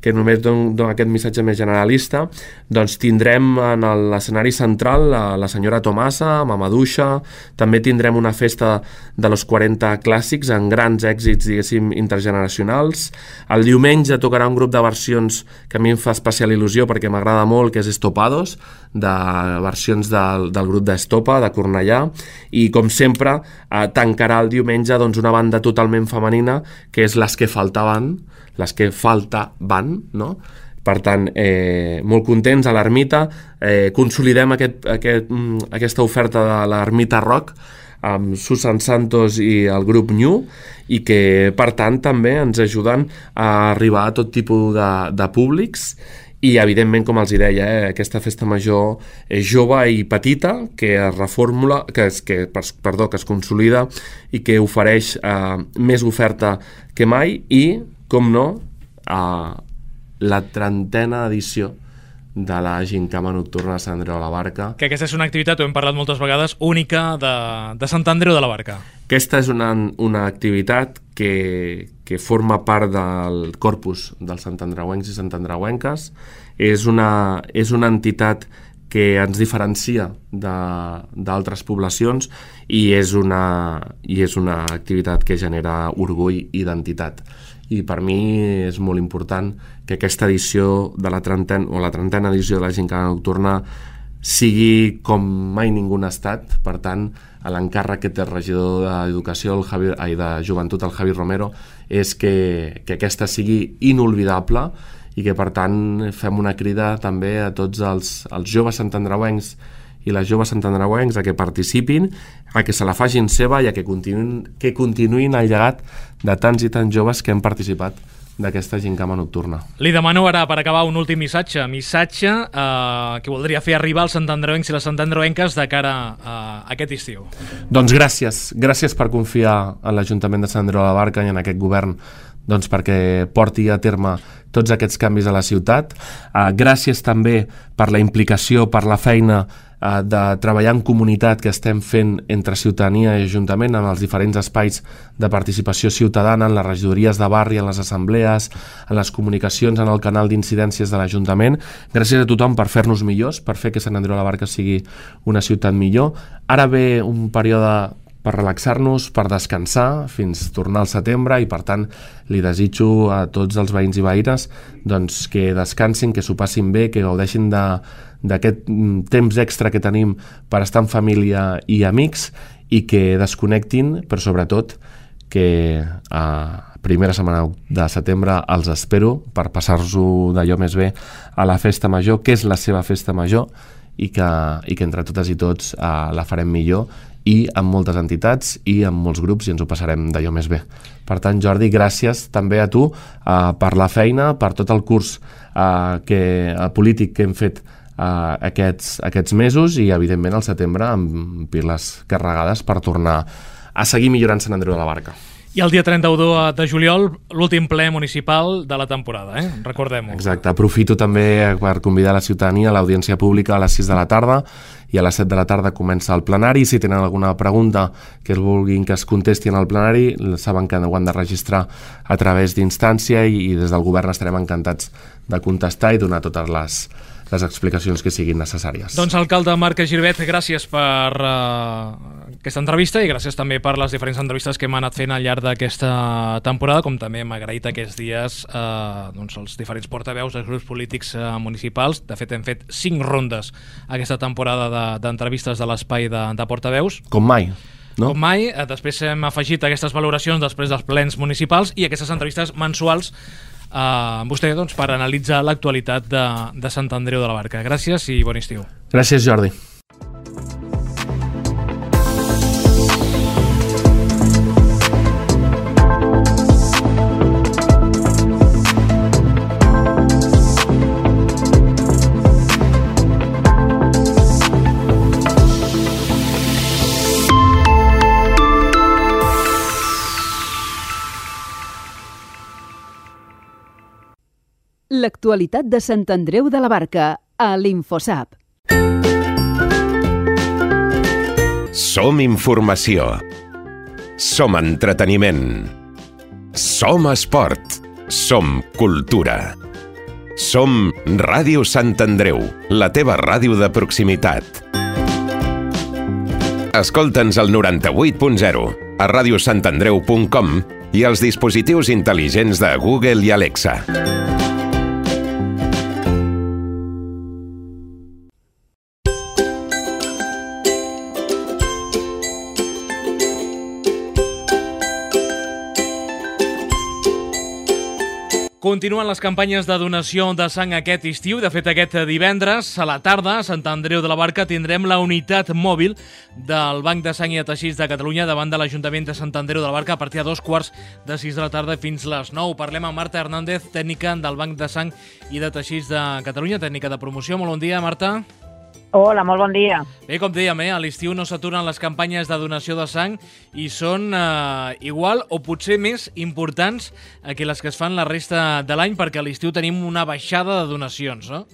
que només dono aquest missatge més generalista. Doncs tindrem en l'escenari central la senyora Tomasa, Mamaduixa. També tindrem una festa de los 40 clàssics amb grans èxits, diguéssim, intergeneracionals. El diumenge tocarà un grup de versions que a mi em fa especial il·lusió perquè m'agrada molt, que és Estopados, de versions del grup d'Estopa, de Cornellà. I com sempre tancarà el diumenge una banda totalment femenina, que és Les que faltaven, no? Per tant, molt contents a l'Ermita. Consolidem aquesta oferta de l'Ermita Rock amb Susan Santos i el grup New, i que per tant també ens ajuden a arribar a tot tipus de públics. I, evidentment, com els deia, aquesta festa major jove i petita que es reformula, que es consolida i que ofereix més oferta que mai, i, com no, la 30a edició de la Gincama Nocturna de Sant Andreu de la Barca. Que aquesta és una activitat, ho hem parlat moltes vegades, única de Sant Andreu de la Barca. Aquesta és una activitat que forma part del corpus dels santandreuencs i santandreuenques. És una entitat que ens diferencia d'altres poblacions i és una activitat que genera orgull i identitat. I per mi és molt important que aquesta edició de la 30a edició de la Gincama Nocturna sigui com mai ningú n'ha estat. Per tant, l'encàrrec que té el regidor d'Educació, de Joventut, el Javi Romero, és que aquesta sigui inolvidable i que, per tant, fem una crida també a tots els joves santandreuencs i les joves santandreuencs a que participin, a que se la facin seva i a que continuïn el llegat de tants i tants joves que han participat d'aquesta gincama nocturna. Li demano ara, per acabar, un últim missatge que voldria fer arribar als santandreuencs i les santandreuenques de cara a aquest estiu. Doncs gràcies per confiar en l'Ajuntament de Sant Andreu de la Barca i en aquest govern perquè porti a terme tots aquests canvis a la ciutat. Gràcies també per la implicació, per la feina de treballar en comunitat que estem fent entre ciutadania i Ajuntament en els diferents espais de participació ciutadana, en les regidories de barri, en les assemblees, en les comunicacions, en el canal d'incidències de l'Ajuntament. Gràcies a tothom per fer-nos millors, per fer que Sant Andreu de la Barca sigui una ciutat millor. Ara ve un període per relaxar-nos, per descansar fins tornar al setembre i, per tant, li desitjo a tots els veïns i veïnes que descansin, que s'ho passin bé, que gaudeixin d'aquest temps extra que tenim per estar en família i amics i que desconnectin, però sobretot que a primera setmana de setembre els espero per passar-s'ho d'allò més bé a la festa major, que és la seva festa major, i que entre totes i tots la farem millor i amb moltes entitats i amb molts grups i ens ho passarem d'allò més bé. Per tant, Jordi, gràcies també a tu per la feina, per tot el curs polític que hem fet aquests mesos i, evidentment, al setembre amb piles carregades per tornar a seguir millorant Sant Andreu de la Barca. I el dia 31 de juliol, l'últim ple municipal de la temporada, recordem-ho. Exacte, aprofito també per convidar la ciutadania a l'audiència pública a les 6 de la tarda i a les 7 de la tarda comença el plenari. Si tenen alguna pregunta que vulguin que es contesti en el plenari, saben que ho han de registrar a través d'instància i des del govern estarem encantats de contestar i donar totes les explicacions que siguin necessàries. Doncs, alcalde Marc Girvet, gràcies per aquesta entrevista i gràcies també per les diferents entrevistes que hem anat fent al llarg d'aquesta temporada, com també hem agraït aquests dies els diferents portaveus dels grups polítics municipals. De fet, hem fet 5 rondes aquesta temporada d'entrevistes de l'espai de portaveus. Com mai. No? Com mai. Després hem afegit aquestes valoracions després dels plens municipals i aquestes entrevistes mensuals amb vostè per analitzar l'actualitat de Sant Andreu de la Barca. Gràcies i bon estiu. Gràcies, Jordi. L'actualitat de Sant Andreu de la Barca a l'Infosap. Som informació. Som entreteniment. Som esport. Som cultura. Som Ràdio Sant Andreu, la teva ràdio de proximitat. Escolta'ns al 98.0, a radiosantandreu.com i als dispositius intel·ligents de Google i Alexa. Continuen les campanyes de donació de sang aquest estiu. De fet, aquest divendres a la tarda a Sant Andreu de la Barca tindrem la unitat mòbil del Banc de Sang i de Teixits de Catalunya davant de l'Ajuntament de Sant Andreu de la Barca a partir de 6:15 de la tarda fins les 9. Parlem amb Marta Hernández, tècnica del Banc de Sang i de Teixits de Catalunya, tècnica de promoció. Molt bon dia, Marta. Hola, molt bon dia. Bé, com dèiem, a l'estiu no s'aturen les campanyes de donació de sang i són igual o potser més importants que les que es fan la resta de l'any, perquè a l'estiu tenim una baixada de donacions, no?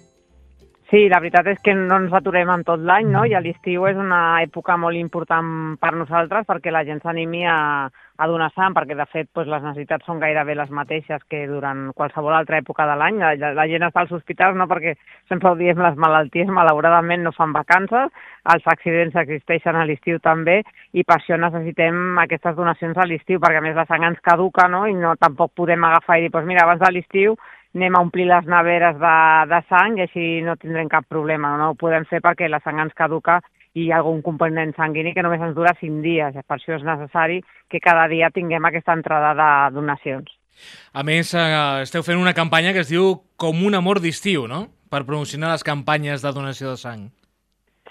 Sí, la veritat és que no ens aturem en tot l'any, no? I a l'estiu és una època molt important per nosaltres perquè la gent s'animi a donar sang, perquè de fet les necessitats són gairebé les mateixes que durant qualsevol altra època de l'any. La gent està als hospitals, no? Perquè sempre ho diem, les malalties malauradament no fan vacances, els accidents existeixen a l'estiu també, i per això necessitem aquestes donacions a l'estiu, perquè a més la sang ens caduca, no? I tampoc podem agafar i dir, mira, abans de l'estiu anem a omplir les neveres de sang i així no tindrem cap problema. No ho podem fer perquè la sang ens caduca i hi ha algun component sanguini que només ens dura 5 dies. Per això és necessari que cada dia tinguem aquesta entrada de donacions. A més, esteu fent una campanya que es diu Com un amor d'estiu, no?, per promocionar les campanyes de donació de sang.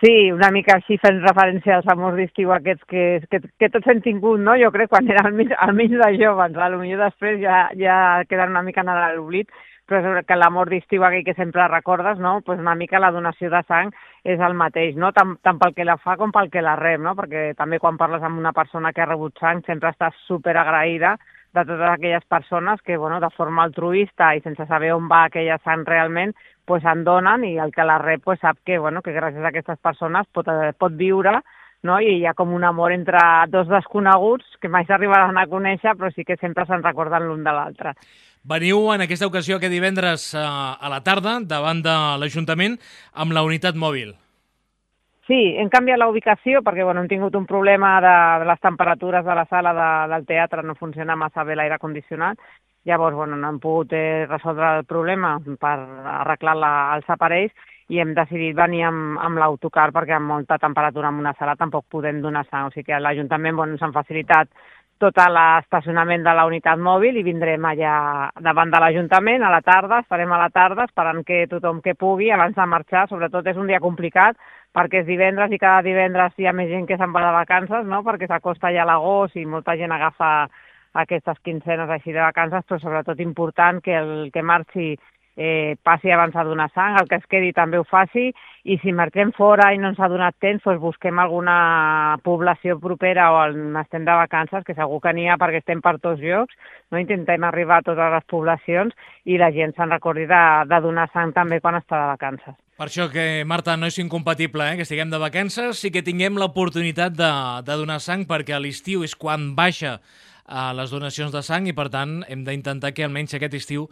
Sí, una mica així fent referència als amors d'estiu aquests que tots hem tingut, no? Jo crec quan era almenys de joves, potser després ja queden una mica en l'oblit, però és que l'amor d'estiu aquell que sempre recordes, no? Pues una mica la donació de sang és el mateix, no? Tant pel que la fa com pel que la rep, no? Perquè també quan parles amb una persona que ha rebut sang sempre estàs superagraïda de totes aquelles persones que, bueno, de forma altruista i sense saber on va aquella sang realment, pues en donen i el que la rep pues sap que, bueno, que gràcies a aquestes persones pot viure, no? I hi ha com un amor entre dos desconeguts que mai s'arribaran a conèixer, però sí que sempre se'n recorden l'un de l'altre. Veniu en aquesta ocasió aquest divendres a la tarda davant de l'Ajuntament amb la unitat mòbil. Sí, hem canviat la ubicació perquè bueno, hem tingut un problema de les temperatures de la sala del teatre, no funciona massa bé l'aire condicionat. Llavors, bueno, no hem pogut resoldre el problema per arreglar els aparells i hem decidit venir amb l'autocar perquè amb molta temperatura en una sala tampoc podem donar sang. O sigui que a l'Ajuntament ens han facilitat tot l'estacionament de la unitat mòbil i vindrem allà davant de l'Ajuntament a la tarda, estarem a la tarda esperant que tothom que pugui abans de marxar, sobretot és un dia complicat perquè és divendres i cada divendres hi ha més gent que se'n va de vacances, no? Perquè s'acosta ja l'agost i molta gent agafa aquestes quinzenes així de vacances, però sobretot important que el que marxi passi abans a donar sang, el que es quedi també ho faci, i si marxem fora i no ens ha donat temps, doncs busquem alguna població propera on estem de vacances, que segur que n'hi ha perquè estem per tots llocs, no? Intentem arribar a totes les poblacions i la gent se'n recordi de donar sang també quan està de vacances. Per això que, Marta, no és incompatible que estiguem de vacances i que tinguem l'oportunitat de donar sang, perquè a l'estiu és quan baixa les donacions de sang i, per tant, hem d'intentar que almenys aquest estiu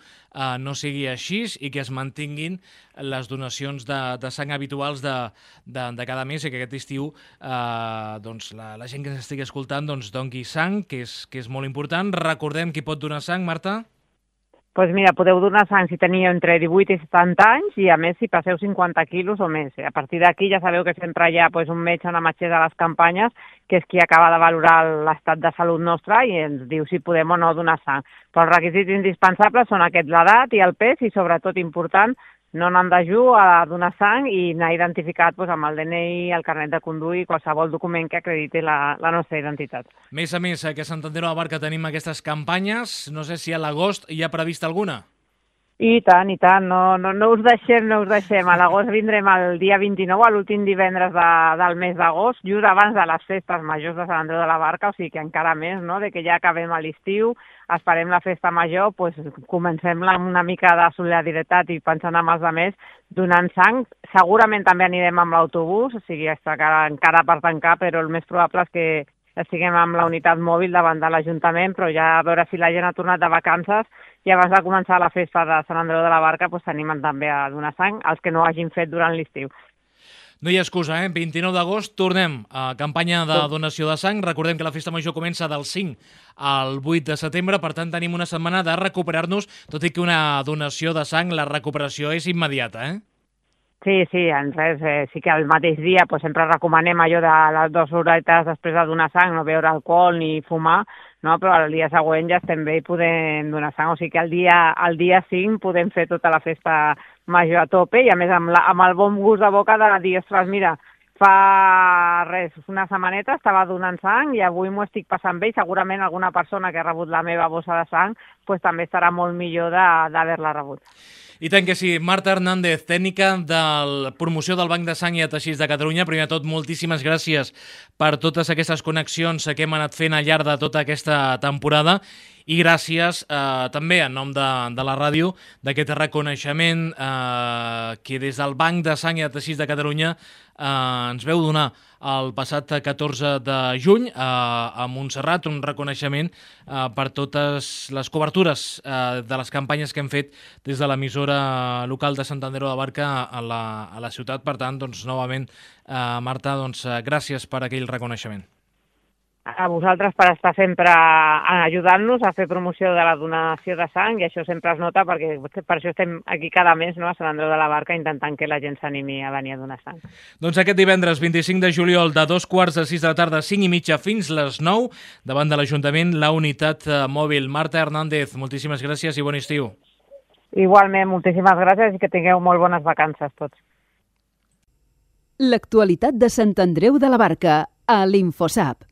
no sigui així i que es mantinguin les donacions de sang habituals de cada mes i que aquest estiu doncs, la gent que ens estigui escoltant doncs, doni sang, que és molt important. Recordem qui pot donar sang, Marta? Doncs mira, podeu donar sang si teniu entre 18 i 70 anys i, a més, si passeu 50 quilos o més. A partir d'aquí ja sabeu que sempre hi ha un metge o una metgessa a les campanyes que és qui acaba de valorar l'estat de salut nostre i ens diu si podem o no donar sang. Però els requisits indispensables són aquests, l'edat i el pes i, sobretot, important, no anar en dejú a donar sang i anar identificat amb el DNI, el carnet de conduir, qualsevol document que acrediti la nostra identitat. A més, que a Sant Andreu de la Barca tenim aquestes campanyes, no sé si a l'agost hi ha prevista alguna? I tant, no us deixem. A l'agost vindrem el dia 29, a l'últim divendres del mes d'agost, just abans de les festes majors de Sant Andreu de la Barca, o sigui que encara més, no?, de que ja acabem a l'estiu, esperem la festa major, comencem amb una mica de solidaritat i pensant en els altres, donant sang. Segurament també anirem amb l'autobús, o sigui, està encara per tancar, però el més probable és que estiguem amb la unitat mòbil davant de l'Ajuntament, però ja a veure si la gent ha tornat de vacances i abans de començar la festa de Sant Andreu de la Barca s'animen també a donar sang els que no ho hagin fet durant l'estiu. No hi ha excusa, 29 d'agost tornem a campanya de donació de sang. Recordem que la festa major comença del 5 al 8 de setembre, per tant tenim una setmana de recuperar-nos, tot i que una donació de sang, la recuperació és immediata, Sí, sí que el mateix dia sempre recomanem allò de les 2 horetes després de donar sang, no beure alcohol ni fumar, no? Però el dia següent ja estem bé i podem donar sang. O sigui que el dia 5 podem fer tota la festa major a tope i a més amb el bon gust de boca de dir, ostres, mira, fa una setmaneta estava donant sang i avui m'ho estic passant bé i segurament alguna persona que ha rebut la meva bossa de sang també estarà molt millor d'haver-la rebut. I tant que sí. Marta Hernández, tècnica de la promoció del Banc de Sang i Teixits de Catalunya. Primer de tot, moltíssimes gràcies per totes aquestes connexions que hem anat fent al llarg de tota aquesta temporada i gràcies també en nom de la ràdio d'aquest reconeixement que des del Banc de Sang i Teixits de Catalunya ens veu donar el passat 14 de juny a Montserrat, un reconeixement per totes les cobertures de les campanyes que hem fet des de l'emissora local de Sant Andreu de la Barca a la ciutat. Per tant, novament, Marta, gràcies per aquell reconeixement. a vosaltres per estar sempre ajudant-nos a fer promoció de la donació de sang, i això sempre es nota perquè per això estem aquí cada mes, no, a Sant Andreu de la Barca, intentant que la gent s'animi a venir a donar sang. Doncs aquest divendres 25 de juliol de 2:45 de la tarda, 5:30 fins les 9, davant de l'Ajuntament, la unitat mòbil. Marta Hernández, moltíssimes gràcies i bon estiu. Igualment, moltíssimes gràcies i que tingueu molt bones vacances tots. L'actualitat de Sant Andreu de la Barca a l'Infosap.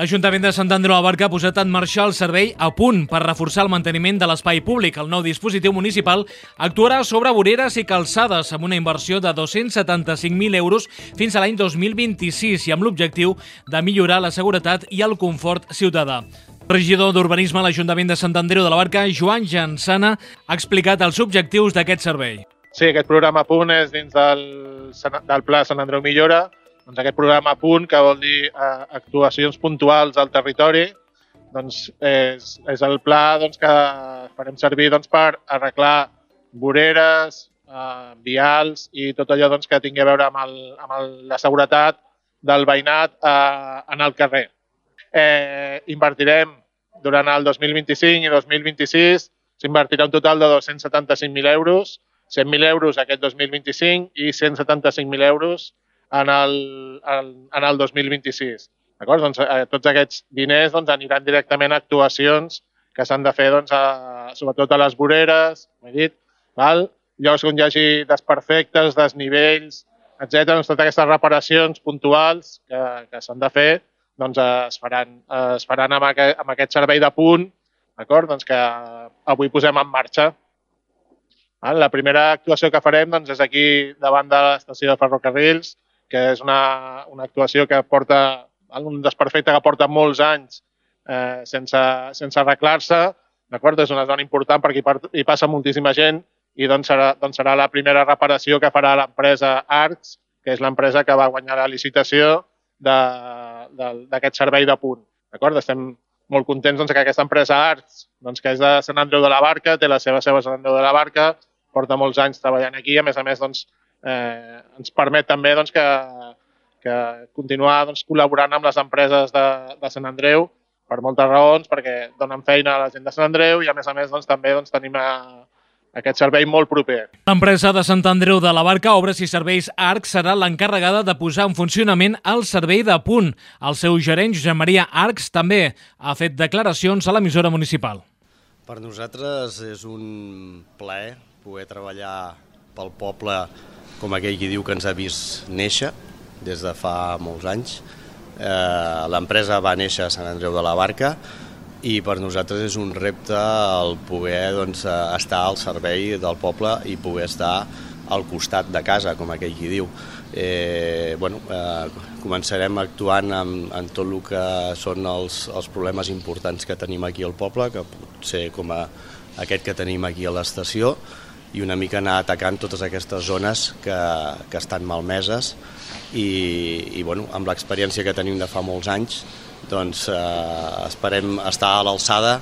L'Ajuntament de Sant Andreu de la Barca ha posat en marxa el servei A Punt per reforçar el manteniment de l'espai públic. El nou dispositiu municipal actuarà sobre voreres i calçades amb una inversió de 275.000 euros fins a l'any 2026 i amb l'objectiu de millorar la seguretat i el confort ciutadà. El regidor d'Urbanisme a l'Ajuntament de Sant Andreu de la Barca, Joan Jansana, ha explicat els objectius d'aquest servei. Sí, aquest programa A Punt és dins del Pla Sant Andreu Millora. Doncs aquest programa A Punt, que vol dir actuacions puntuals al territori, doncs és el pla que farem servir per arreglar voreres, vials i tot allò que tingui a veure amb la seguretat del veïnat en el carrer. Invertirem durant el 2025 i 2026, s'invertirà un total de 275.000 euros, 100.000 euros aquest 2025 i 175.000 euros en el 2026. D'acord? Doncs, tots aquests diners aniran directament a actuacions que s'han de fer sobretot a les voreres, com he dit, llocs on hi hagi desperfectes, desnivells, etc. Doncs, totes aquestes reparacions puntuals que s'han de fer es faran amb aquest servei de punt, doncs, que avui posem en marxa. La primera actuació que farem és aquí davant de l'estació de ferrocarrils, que és una actuació que porta un desperfecte que porta molts anys sense arreglar-se. És una zona important perquè hi passa moltíssima gent i serà la primera reparació que farà l'empresa Arcs, que és l'empresa que va guanyar la licitació d'aquest servei de punt. Estem molt contents que aquesta empresa Arcs, que és de Sant Andreu de la Barca, té la seva seu a Sant Andreu de la Barca, porta molts anys treballant aquí, a més, ens permet també que continuar col·laborant amb les empreses de Sant Andreu per moltes raons, perquè donen feina a la gent de Sant Andreu i a més també tenim aquest servei molt proper. L'empresa de Sant Andreu de la Barca, Obres i Serveis Arc, serà l'encarregada de posar en funcionament el servei de punt. El seu gerent, Josep Maria Arcs, també ha fet declaracions a l'emissora municipal. Per nosaltres és un plaer poder treballar pel poble com aquell qui diu que ens ha vist néixer des de fa molts anys. L'empresa va néixer a Sant Andreu de la Barca i per nosaltres és un repte el poder estar al servei del poble i poder estar al costat de casa, com aquell qui diu. Començarem actuant en tot el que són els problemes importants que tenim aquí al poble, que pot ser com aquest que tenim aquí a l'estació, i una mica anar atacant totes aquestes zones que estan malmeses i amb l'experiència que tenim de fa molts anys esperem estar a l'alçada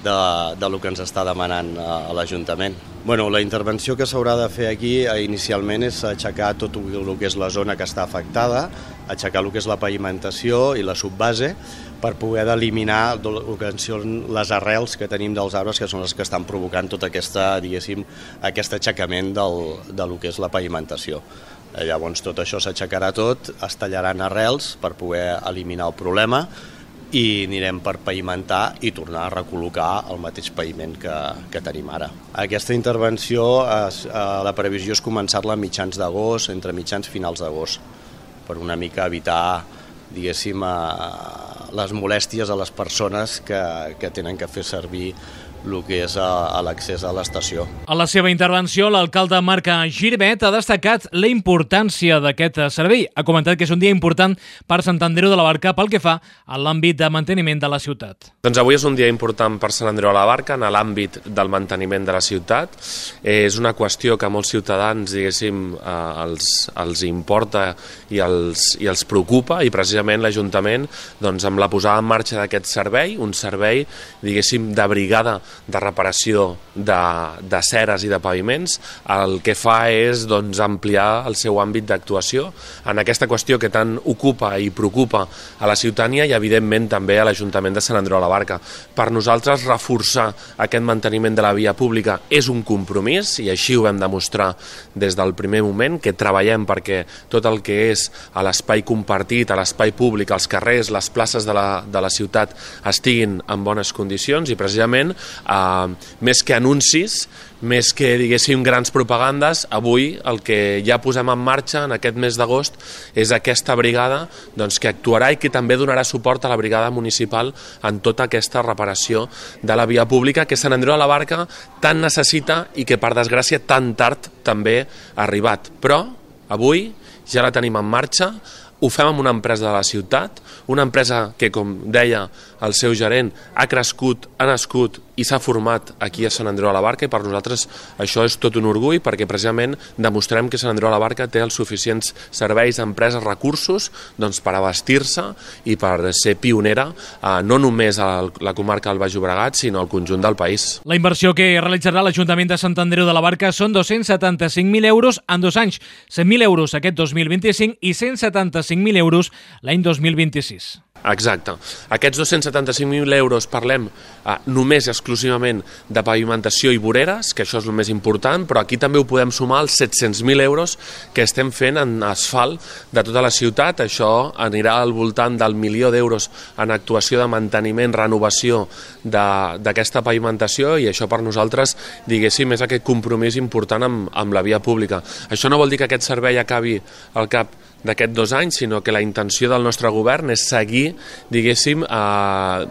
del que ens està demanant a l'Ajuntament. La intervenció que s'haurà de fer aquí inicialment és aixecar tot el que és la zona que està afectada, aixecar el que és la pavimentació i la subbase per poder eliminar el que són les arrels que tenim dels arbres, que són les que estan provocant tot aquest aixecament del que és la pavimentació. Llavors tot això s'aixecarà tot, es tallaran arrels per poder eliminar el problema i anirem per pavimentar i tornar a recol·locar el mateix paviment que tenim ara. Aquesta intervenció, la previsió és començar-la a mitjans d'agost, entre mitjans i finals d'agost, per una mica evitar, les molèsties a les persones que tenen que fer servir el que és a l'accés a l'estació. A la seva intervenció, l'alcalde Marc Girvet ha destacat la importància d'aquest servei. Ha comentat que és un dia important per Sant Andreu de la Barca pel que fa a l'àmbit de manteniment de la ciutat. Doncs avui és un dia important per Sant Andreu de la Barca en l'àmbit del manteniment de la ciutat. És una qüestió que a molts ciutadans, diguéssim, els importa i els preocupa, i precisament l'Ajuntament, doncs, amb la posada en marxa d'aquest servei, un servei, diguéssim, de brigada de reparació de ceres i de paviments, el que fa és doncs, ampliar el seu àmbit d'actuació en aquesta qüestió que tant ocupa i preocupa a la ciutadania i evidentment també a l'Ajuntament de Sant Andreu de la Barca. Per nosaltres reforçar aquest manteniment de la via pública és un compromís i així ho vam demostrar des del primer moment, que treballem perquè tot el que és a l'espai compartit, a l'espai públic, als carrers, les places de la ciutat estiguin en bones condicions, i precisament més que anuncis, més que, diguéssim, grans propagandes, avui el que ja posem en marxa en aquest mes d'agost és aquesta brigada doncs, que actuarà i que també donarà suport a la brigada municipal en tota aquesta reparació de la via pública que Sant Andreu de la Barca tant necessita i que, per desgràcia, tan tard també ha arribat. Però avui ja la tenim en marxa, ho fem amb una empresa de la ciutat, una empresa que, com deia el seu gerent, ha crescut, ha nascut i s'ha format aquí a Sant Andreu de la Barca, i per nosaltres això és tot un orgull perquè precisament demostrem que Sant Andreu de la Barca té els suficients serveis, empreses, recursos doncs, per abastir-se i per ser pionera no només a la comarca del Baix Llobregat sinó al conjunt del país. La inversió que realitzarà l'Ajuntament de Sant Andreu de la Barca són 275.000 euros en 2 anys, 100.000 euros aquest 2025 i 175.000 euros l'any 2026. Exacte. Aquests 275.000 euros parlem només exclusivament de pavimentació i voreres, que això és el més important, però aquí també ho podem sumar als 700.000 euros que estem fent en asfalt de tota la ciutat. Això anirà al voltant del 1.000.000 d'euros en actuació de manteniment, renovació d'aquesta pavimentació, i això per nosaltres, diguéssim, és aquest compromís important amb la via pública. Això no vol dir que aquest servei acabi al cap d'aquests 2 anys, sinó que la intenció del nostre govern és seguir, diguéssim,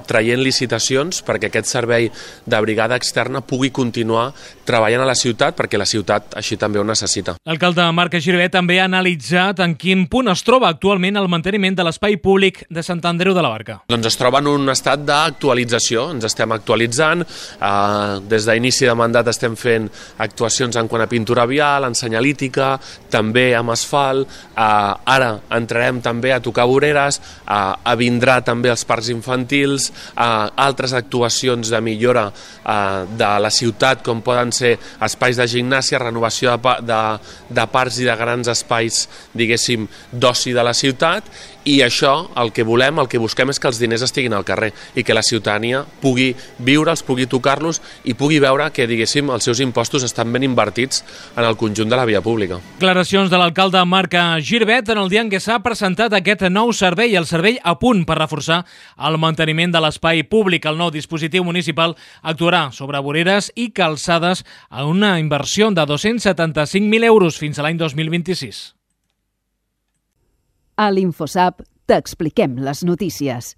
traient licitacions perquè aquest servei de brigada externa pugui continuar treballant a la ciutat, perquè la ciutat així també ho necessita. L'alcalde Marc Girvet també ha analitzat en quin punt es troba actualment el manteniment de l'espai públic de Sant Andreu de la Barca. Doncs es troba en un estat d'actualització, ens estem actualitzant, des d'inici de mandat estem fent actuacions en quant a pintura vial, en senyalítica, també amb asfalt, ara entrarem també a tocar voreres, vindrà també els parcs infantils, altres actuacions de millora de la ciutat, com poden ser espais de gimnàsia, renovació de parcs i de grans espais, diguéssim, d'oci de la ciutat, i això, el que volem, el que busquem és que els diners estiguin al carrer i que la ciutadania pugui viure'ls, pugui tocar-los i pugui veure que, diguéssim, els seus impostos estan ben invertits en el conjunt de la via pública. Declaracions de l'alcalde Marc Girvet en el dia en què s'ha presentat aquest nou servei, el servei a punt per reforçar el manteniment de l'espai públic. El nou dispositiu municipal actuarà sobre voreres i calçades a una inversió de 275.000 euros fins a l'any 2026. A l'InfoSap t'expliquem les notícies.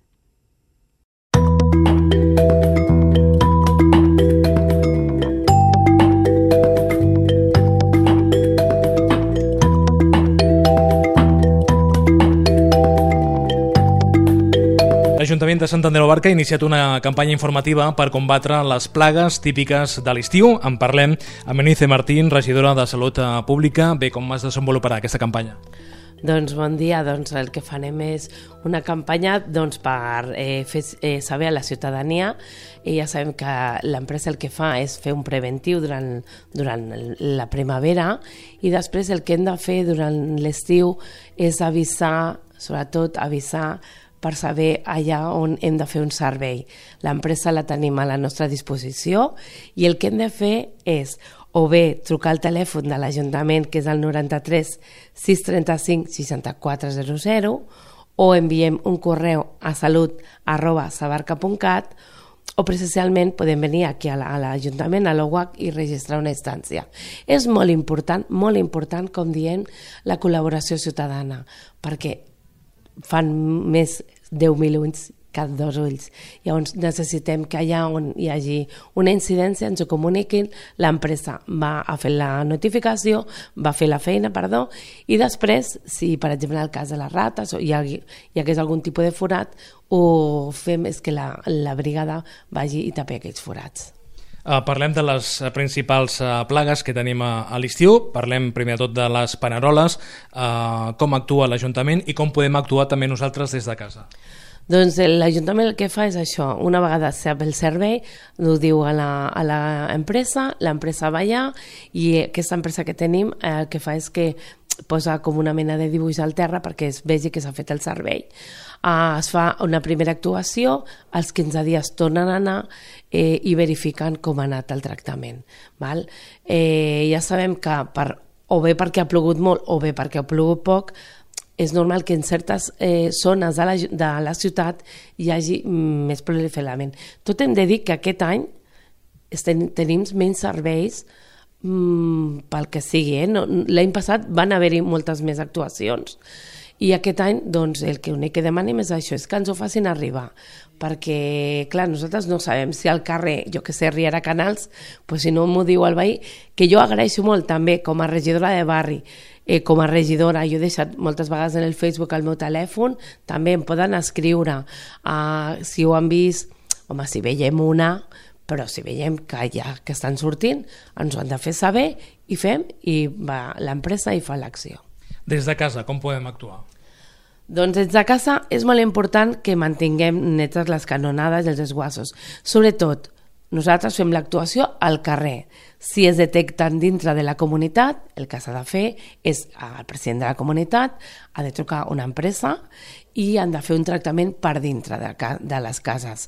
L'Ajuntament de Sant Andreu de la Barca ha iniciat una campanya informativa per combatre les plagues típiques de l'estiu. En parlem amb Eunice Martín, regidora de Salut Pública. Bé, com es desenvoluparà aquesta campanya? Doncs bon dia, el que farem és una campanya per fer saber a la ciutadania, i ja sabem que l'empresa el que fa és fer un preventiu durant la primavera, i després el que hem de fer durant l'estiu és avisar, sobretot avisar per saber allà on hem de fer un servei. L'empresa la tenim a la nostra disposició i el que hem de fer és o bé trucar al telèfon de l'Ajuntament, que és el 93 635 6400, o enviem un correu a salut@sabarca.cat, o presencialment podem venir aquí a l'Ajuntament, a l'OUAC, i registrar una instància. És molt important, com diem, la col·laboració ciutadana, perquè fan més 10.000 cada 2 ulls. Llavors necessitem que allà on hi hagi una incidència ens ho comuniquin, l'empresa va a fer la notificació, va fer la feina, i després, si per exemple en el cas de les rates o hi hagués algun tipus de forat, ho fem és que la brigada vagi i tapi aquells forats. Parlem de les principals plagues que tenim a l'estiu, parlem primer de tot de les paneroles, com actua l'Ajuntament i com podem actuar també nosaltres des de casa. Doncs l'Ajuntament el que fa és això, una vegada sap el servei, ho diu a l'empresa, l'empresa va allà i aquesta empresa que tenim el que fa és que posa com una mena de dibuix al terra perquè es vegi que s'ha fet el servei. Es fa una primera actuació, als 15 dies tornen a anar i verifiquen com ha anat el tractament. Ja sabem que o bé perquè ha plogut molt o bé perquè ha plogut poc, és normal que en certes zones de la ciutat hi hagi més proliferament. Tot hem de dir que aquest any tenim menys serveis pel que sigui. L'any passat van haver-hi moltes més actuacions i aquest any doncs, el únic que demanem és això, és que ens ho facin arribar, perquè clar, nosaltres no sabem si al carrer, jo que sé, Riera Canals, si no m'ho diu el veí, que jo agraeixo molt també com a regidora de barri, com a regidora, jo he deixat moltes vegades en el Facebook el meu telèfon, també em poden escriure si ho han vist, home, si veiem una, però si veiem que estan sortint, ens ho han de fer saber i fem, i va l'empresa i fa l'acció. Des de casa, com podem actuar? Doncs des de casa és molt important que mantinguem netes les canonades i els desguassos. Sobretot, nosaltres fem l'actuació al carrer. Si es detecten dintre de la comunitat, el que s'ha de fer és el president de la comunitat ha de trucar a una empresa i han de fer un tractament per dintre de les cases.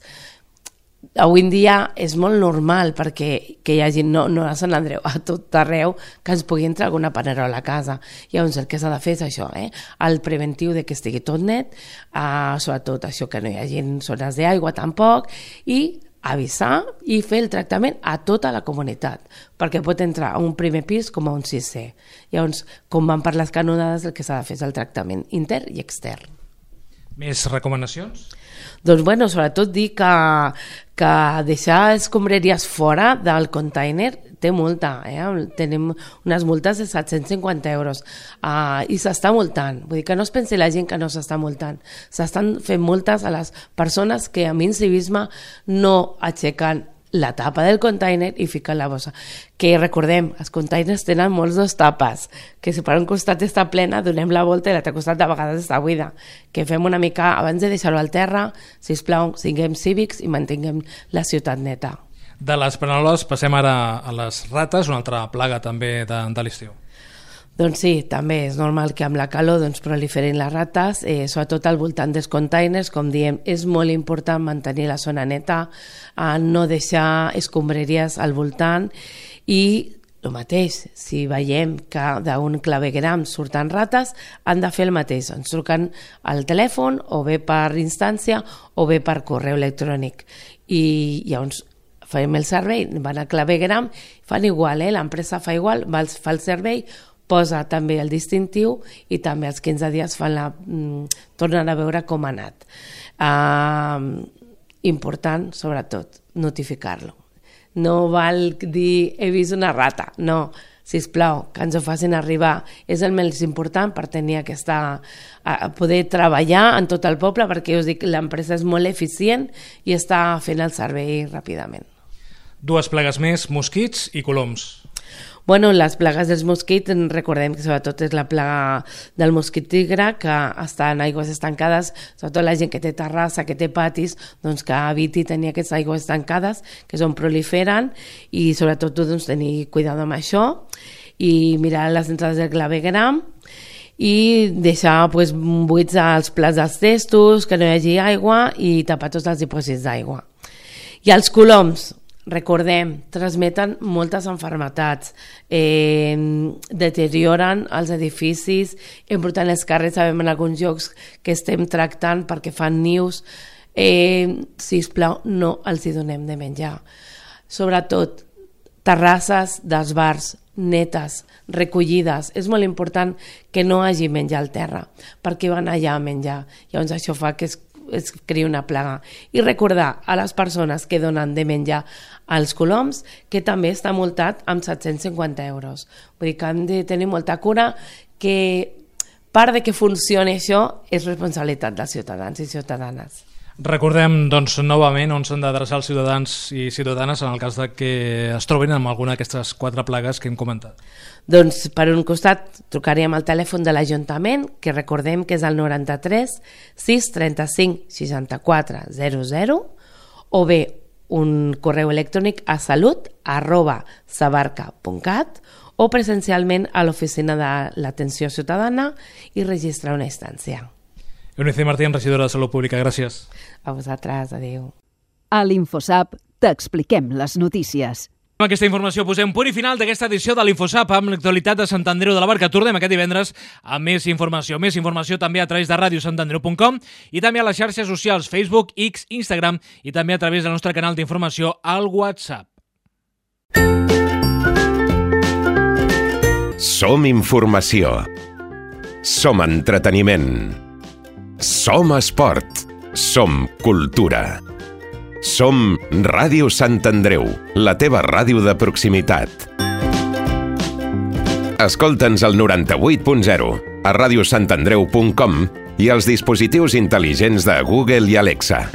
Avui en dia és molt normal perquè hi hagi, no a Sant Andreu, a tot arreu, que ens pugui entrar alguna panerola a casa. Llavors el que s'ha de fer és això, el preventiu de que estigui tot net, sobretot això que no hi hagi zones d'aigua tampoc, i avisar i fer el tractament a tota la comunitat, perquè pot entrar a un primer pis com a un sisè. Llavors, com van per les canonades, el que s'ha de fer és el tractament intern i extern. Més recomanacions? Doncs bueno, sobretot dir que deixar escombraries fora del container té multa, tenim unes multes de 750 euros i s'està multant, vull dir que no es pensi la gent que no s'està multant, s'estan fent multes a les persones que amb incivisme no aixequen la tapa del container i fiquen la bossa. Que recordem, els containers tenen molts dos tapes, que si per un costat està plena, donem la volta i l'altre costat de vegades està buida. Que fem una mica, abans de deixar-ho al terra, sisplau, siguem cívics i mantinguem la ciutat neta. De les paneroles passem ara a les rates, una altra plaga també de l'estiu. Doncs sí, també és normal que amb la calor proliferin les rates, sobretot al voltant dels containers, com diem, és molt important mantenir la zona neta, no deixar escombraries al voltant i el mateix, si veiem que d'un clavegueram surten rates, han de fer el mateix, ens truquen al telèfon o bé per instància o bé per correu electrònic i llavors fem el servei, van al clavegueram, fan igual, l'empresa fa igual, fa el servei, posa també el distintiu i també als 15 dies tornen a veure com ha anat. Important, sobretot, notificar-lo. No val dir he vist una rata, no, sisplau, que ens ho facin arribar. És el més important per tenir poder treballar en tot el poble, perquè us dic, l'empresa és molt eficient i està fent el servei ràpidament. Dues plagues més, mosquits i coloms. Bueno, les plagues dels mosquits, recordem que sobretot és la plaga del mosquit tigre, que està en aigües estancades, sobretot la gent que té terrassa, que té patis, doncs que eviti tenir aquestes aigües estancades, que és on proliferen, i sobretot tenir cuidado amb això, i mirar les entrades del clavegueram, i deixar buits els plats dels testos, que no hi hagi aigua, i tapar tots els dipòsits d'aigua. I els coloms, recordem, transmeten moltes malalties, deterioren els edificis, embrutant els carrers, sabem en alguns llocs que estem tractant perquè fan nius, sisplau, no els hi donem de menjar. Sobretot, terrasses dels bars netes, recollides, és molt important que no hagi menjar al terra, perquè van allà a menjar. Llavors això fa que es cria una plaga. I recordar a les persones que donen de menjar als coloms que també està multat amb 750 euros. Vull dir que hem de tenir molta cura, que part de que funcioni això és responsabilitat dels ciutadans i ciutadanes. Recordem, doncs, novament on s'han d'adreçar els ciutadans i ciutadanes en el cas de que es trobin amb alguna d'aquestes 4 plagues que hem comentat. Doncs, per un costat, trucaríem al telèfon de l'Ajuntament, que recordem que és el 93 635 64 00, o bé un correu electrònic a salut@sabarca.cat o presencialment a l'oficina de l'Atenció Ciutadana i registrar una instància. Eunice Martín, regidora de Salut Pública, gràcies. A vosaltres, adéu. A l'InfoSap t'expliquem les notícies. Amb aquesta informació posem punt i final d'aquesta edició de l'InfoSap amb l'actualitat de Sant Andreu de la Barca. Tornem aquest divendres amb més informació. Més informació també a través de radiosantandreu.com i també a les xarxes socials Facebook, X, Instagram i també a través del nostre canal d'informació al WhatsApp. Som informació. Som entreteniment. Som esport. Som cultura. Som Ràdio Sant Andreu, la teva ràdio de proximitat. Escolta'ns al 98.0, a radiosantandreu.com i als dispositius intel·ligents de Google i Alexa.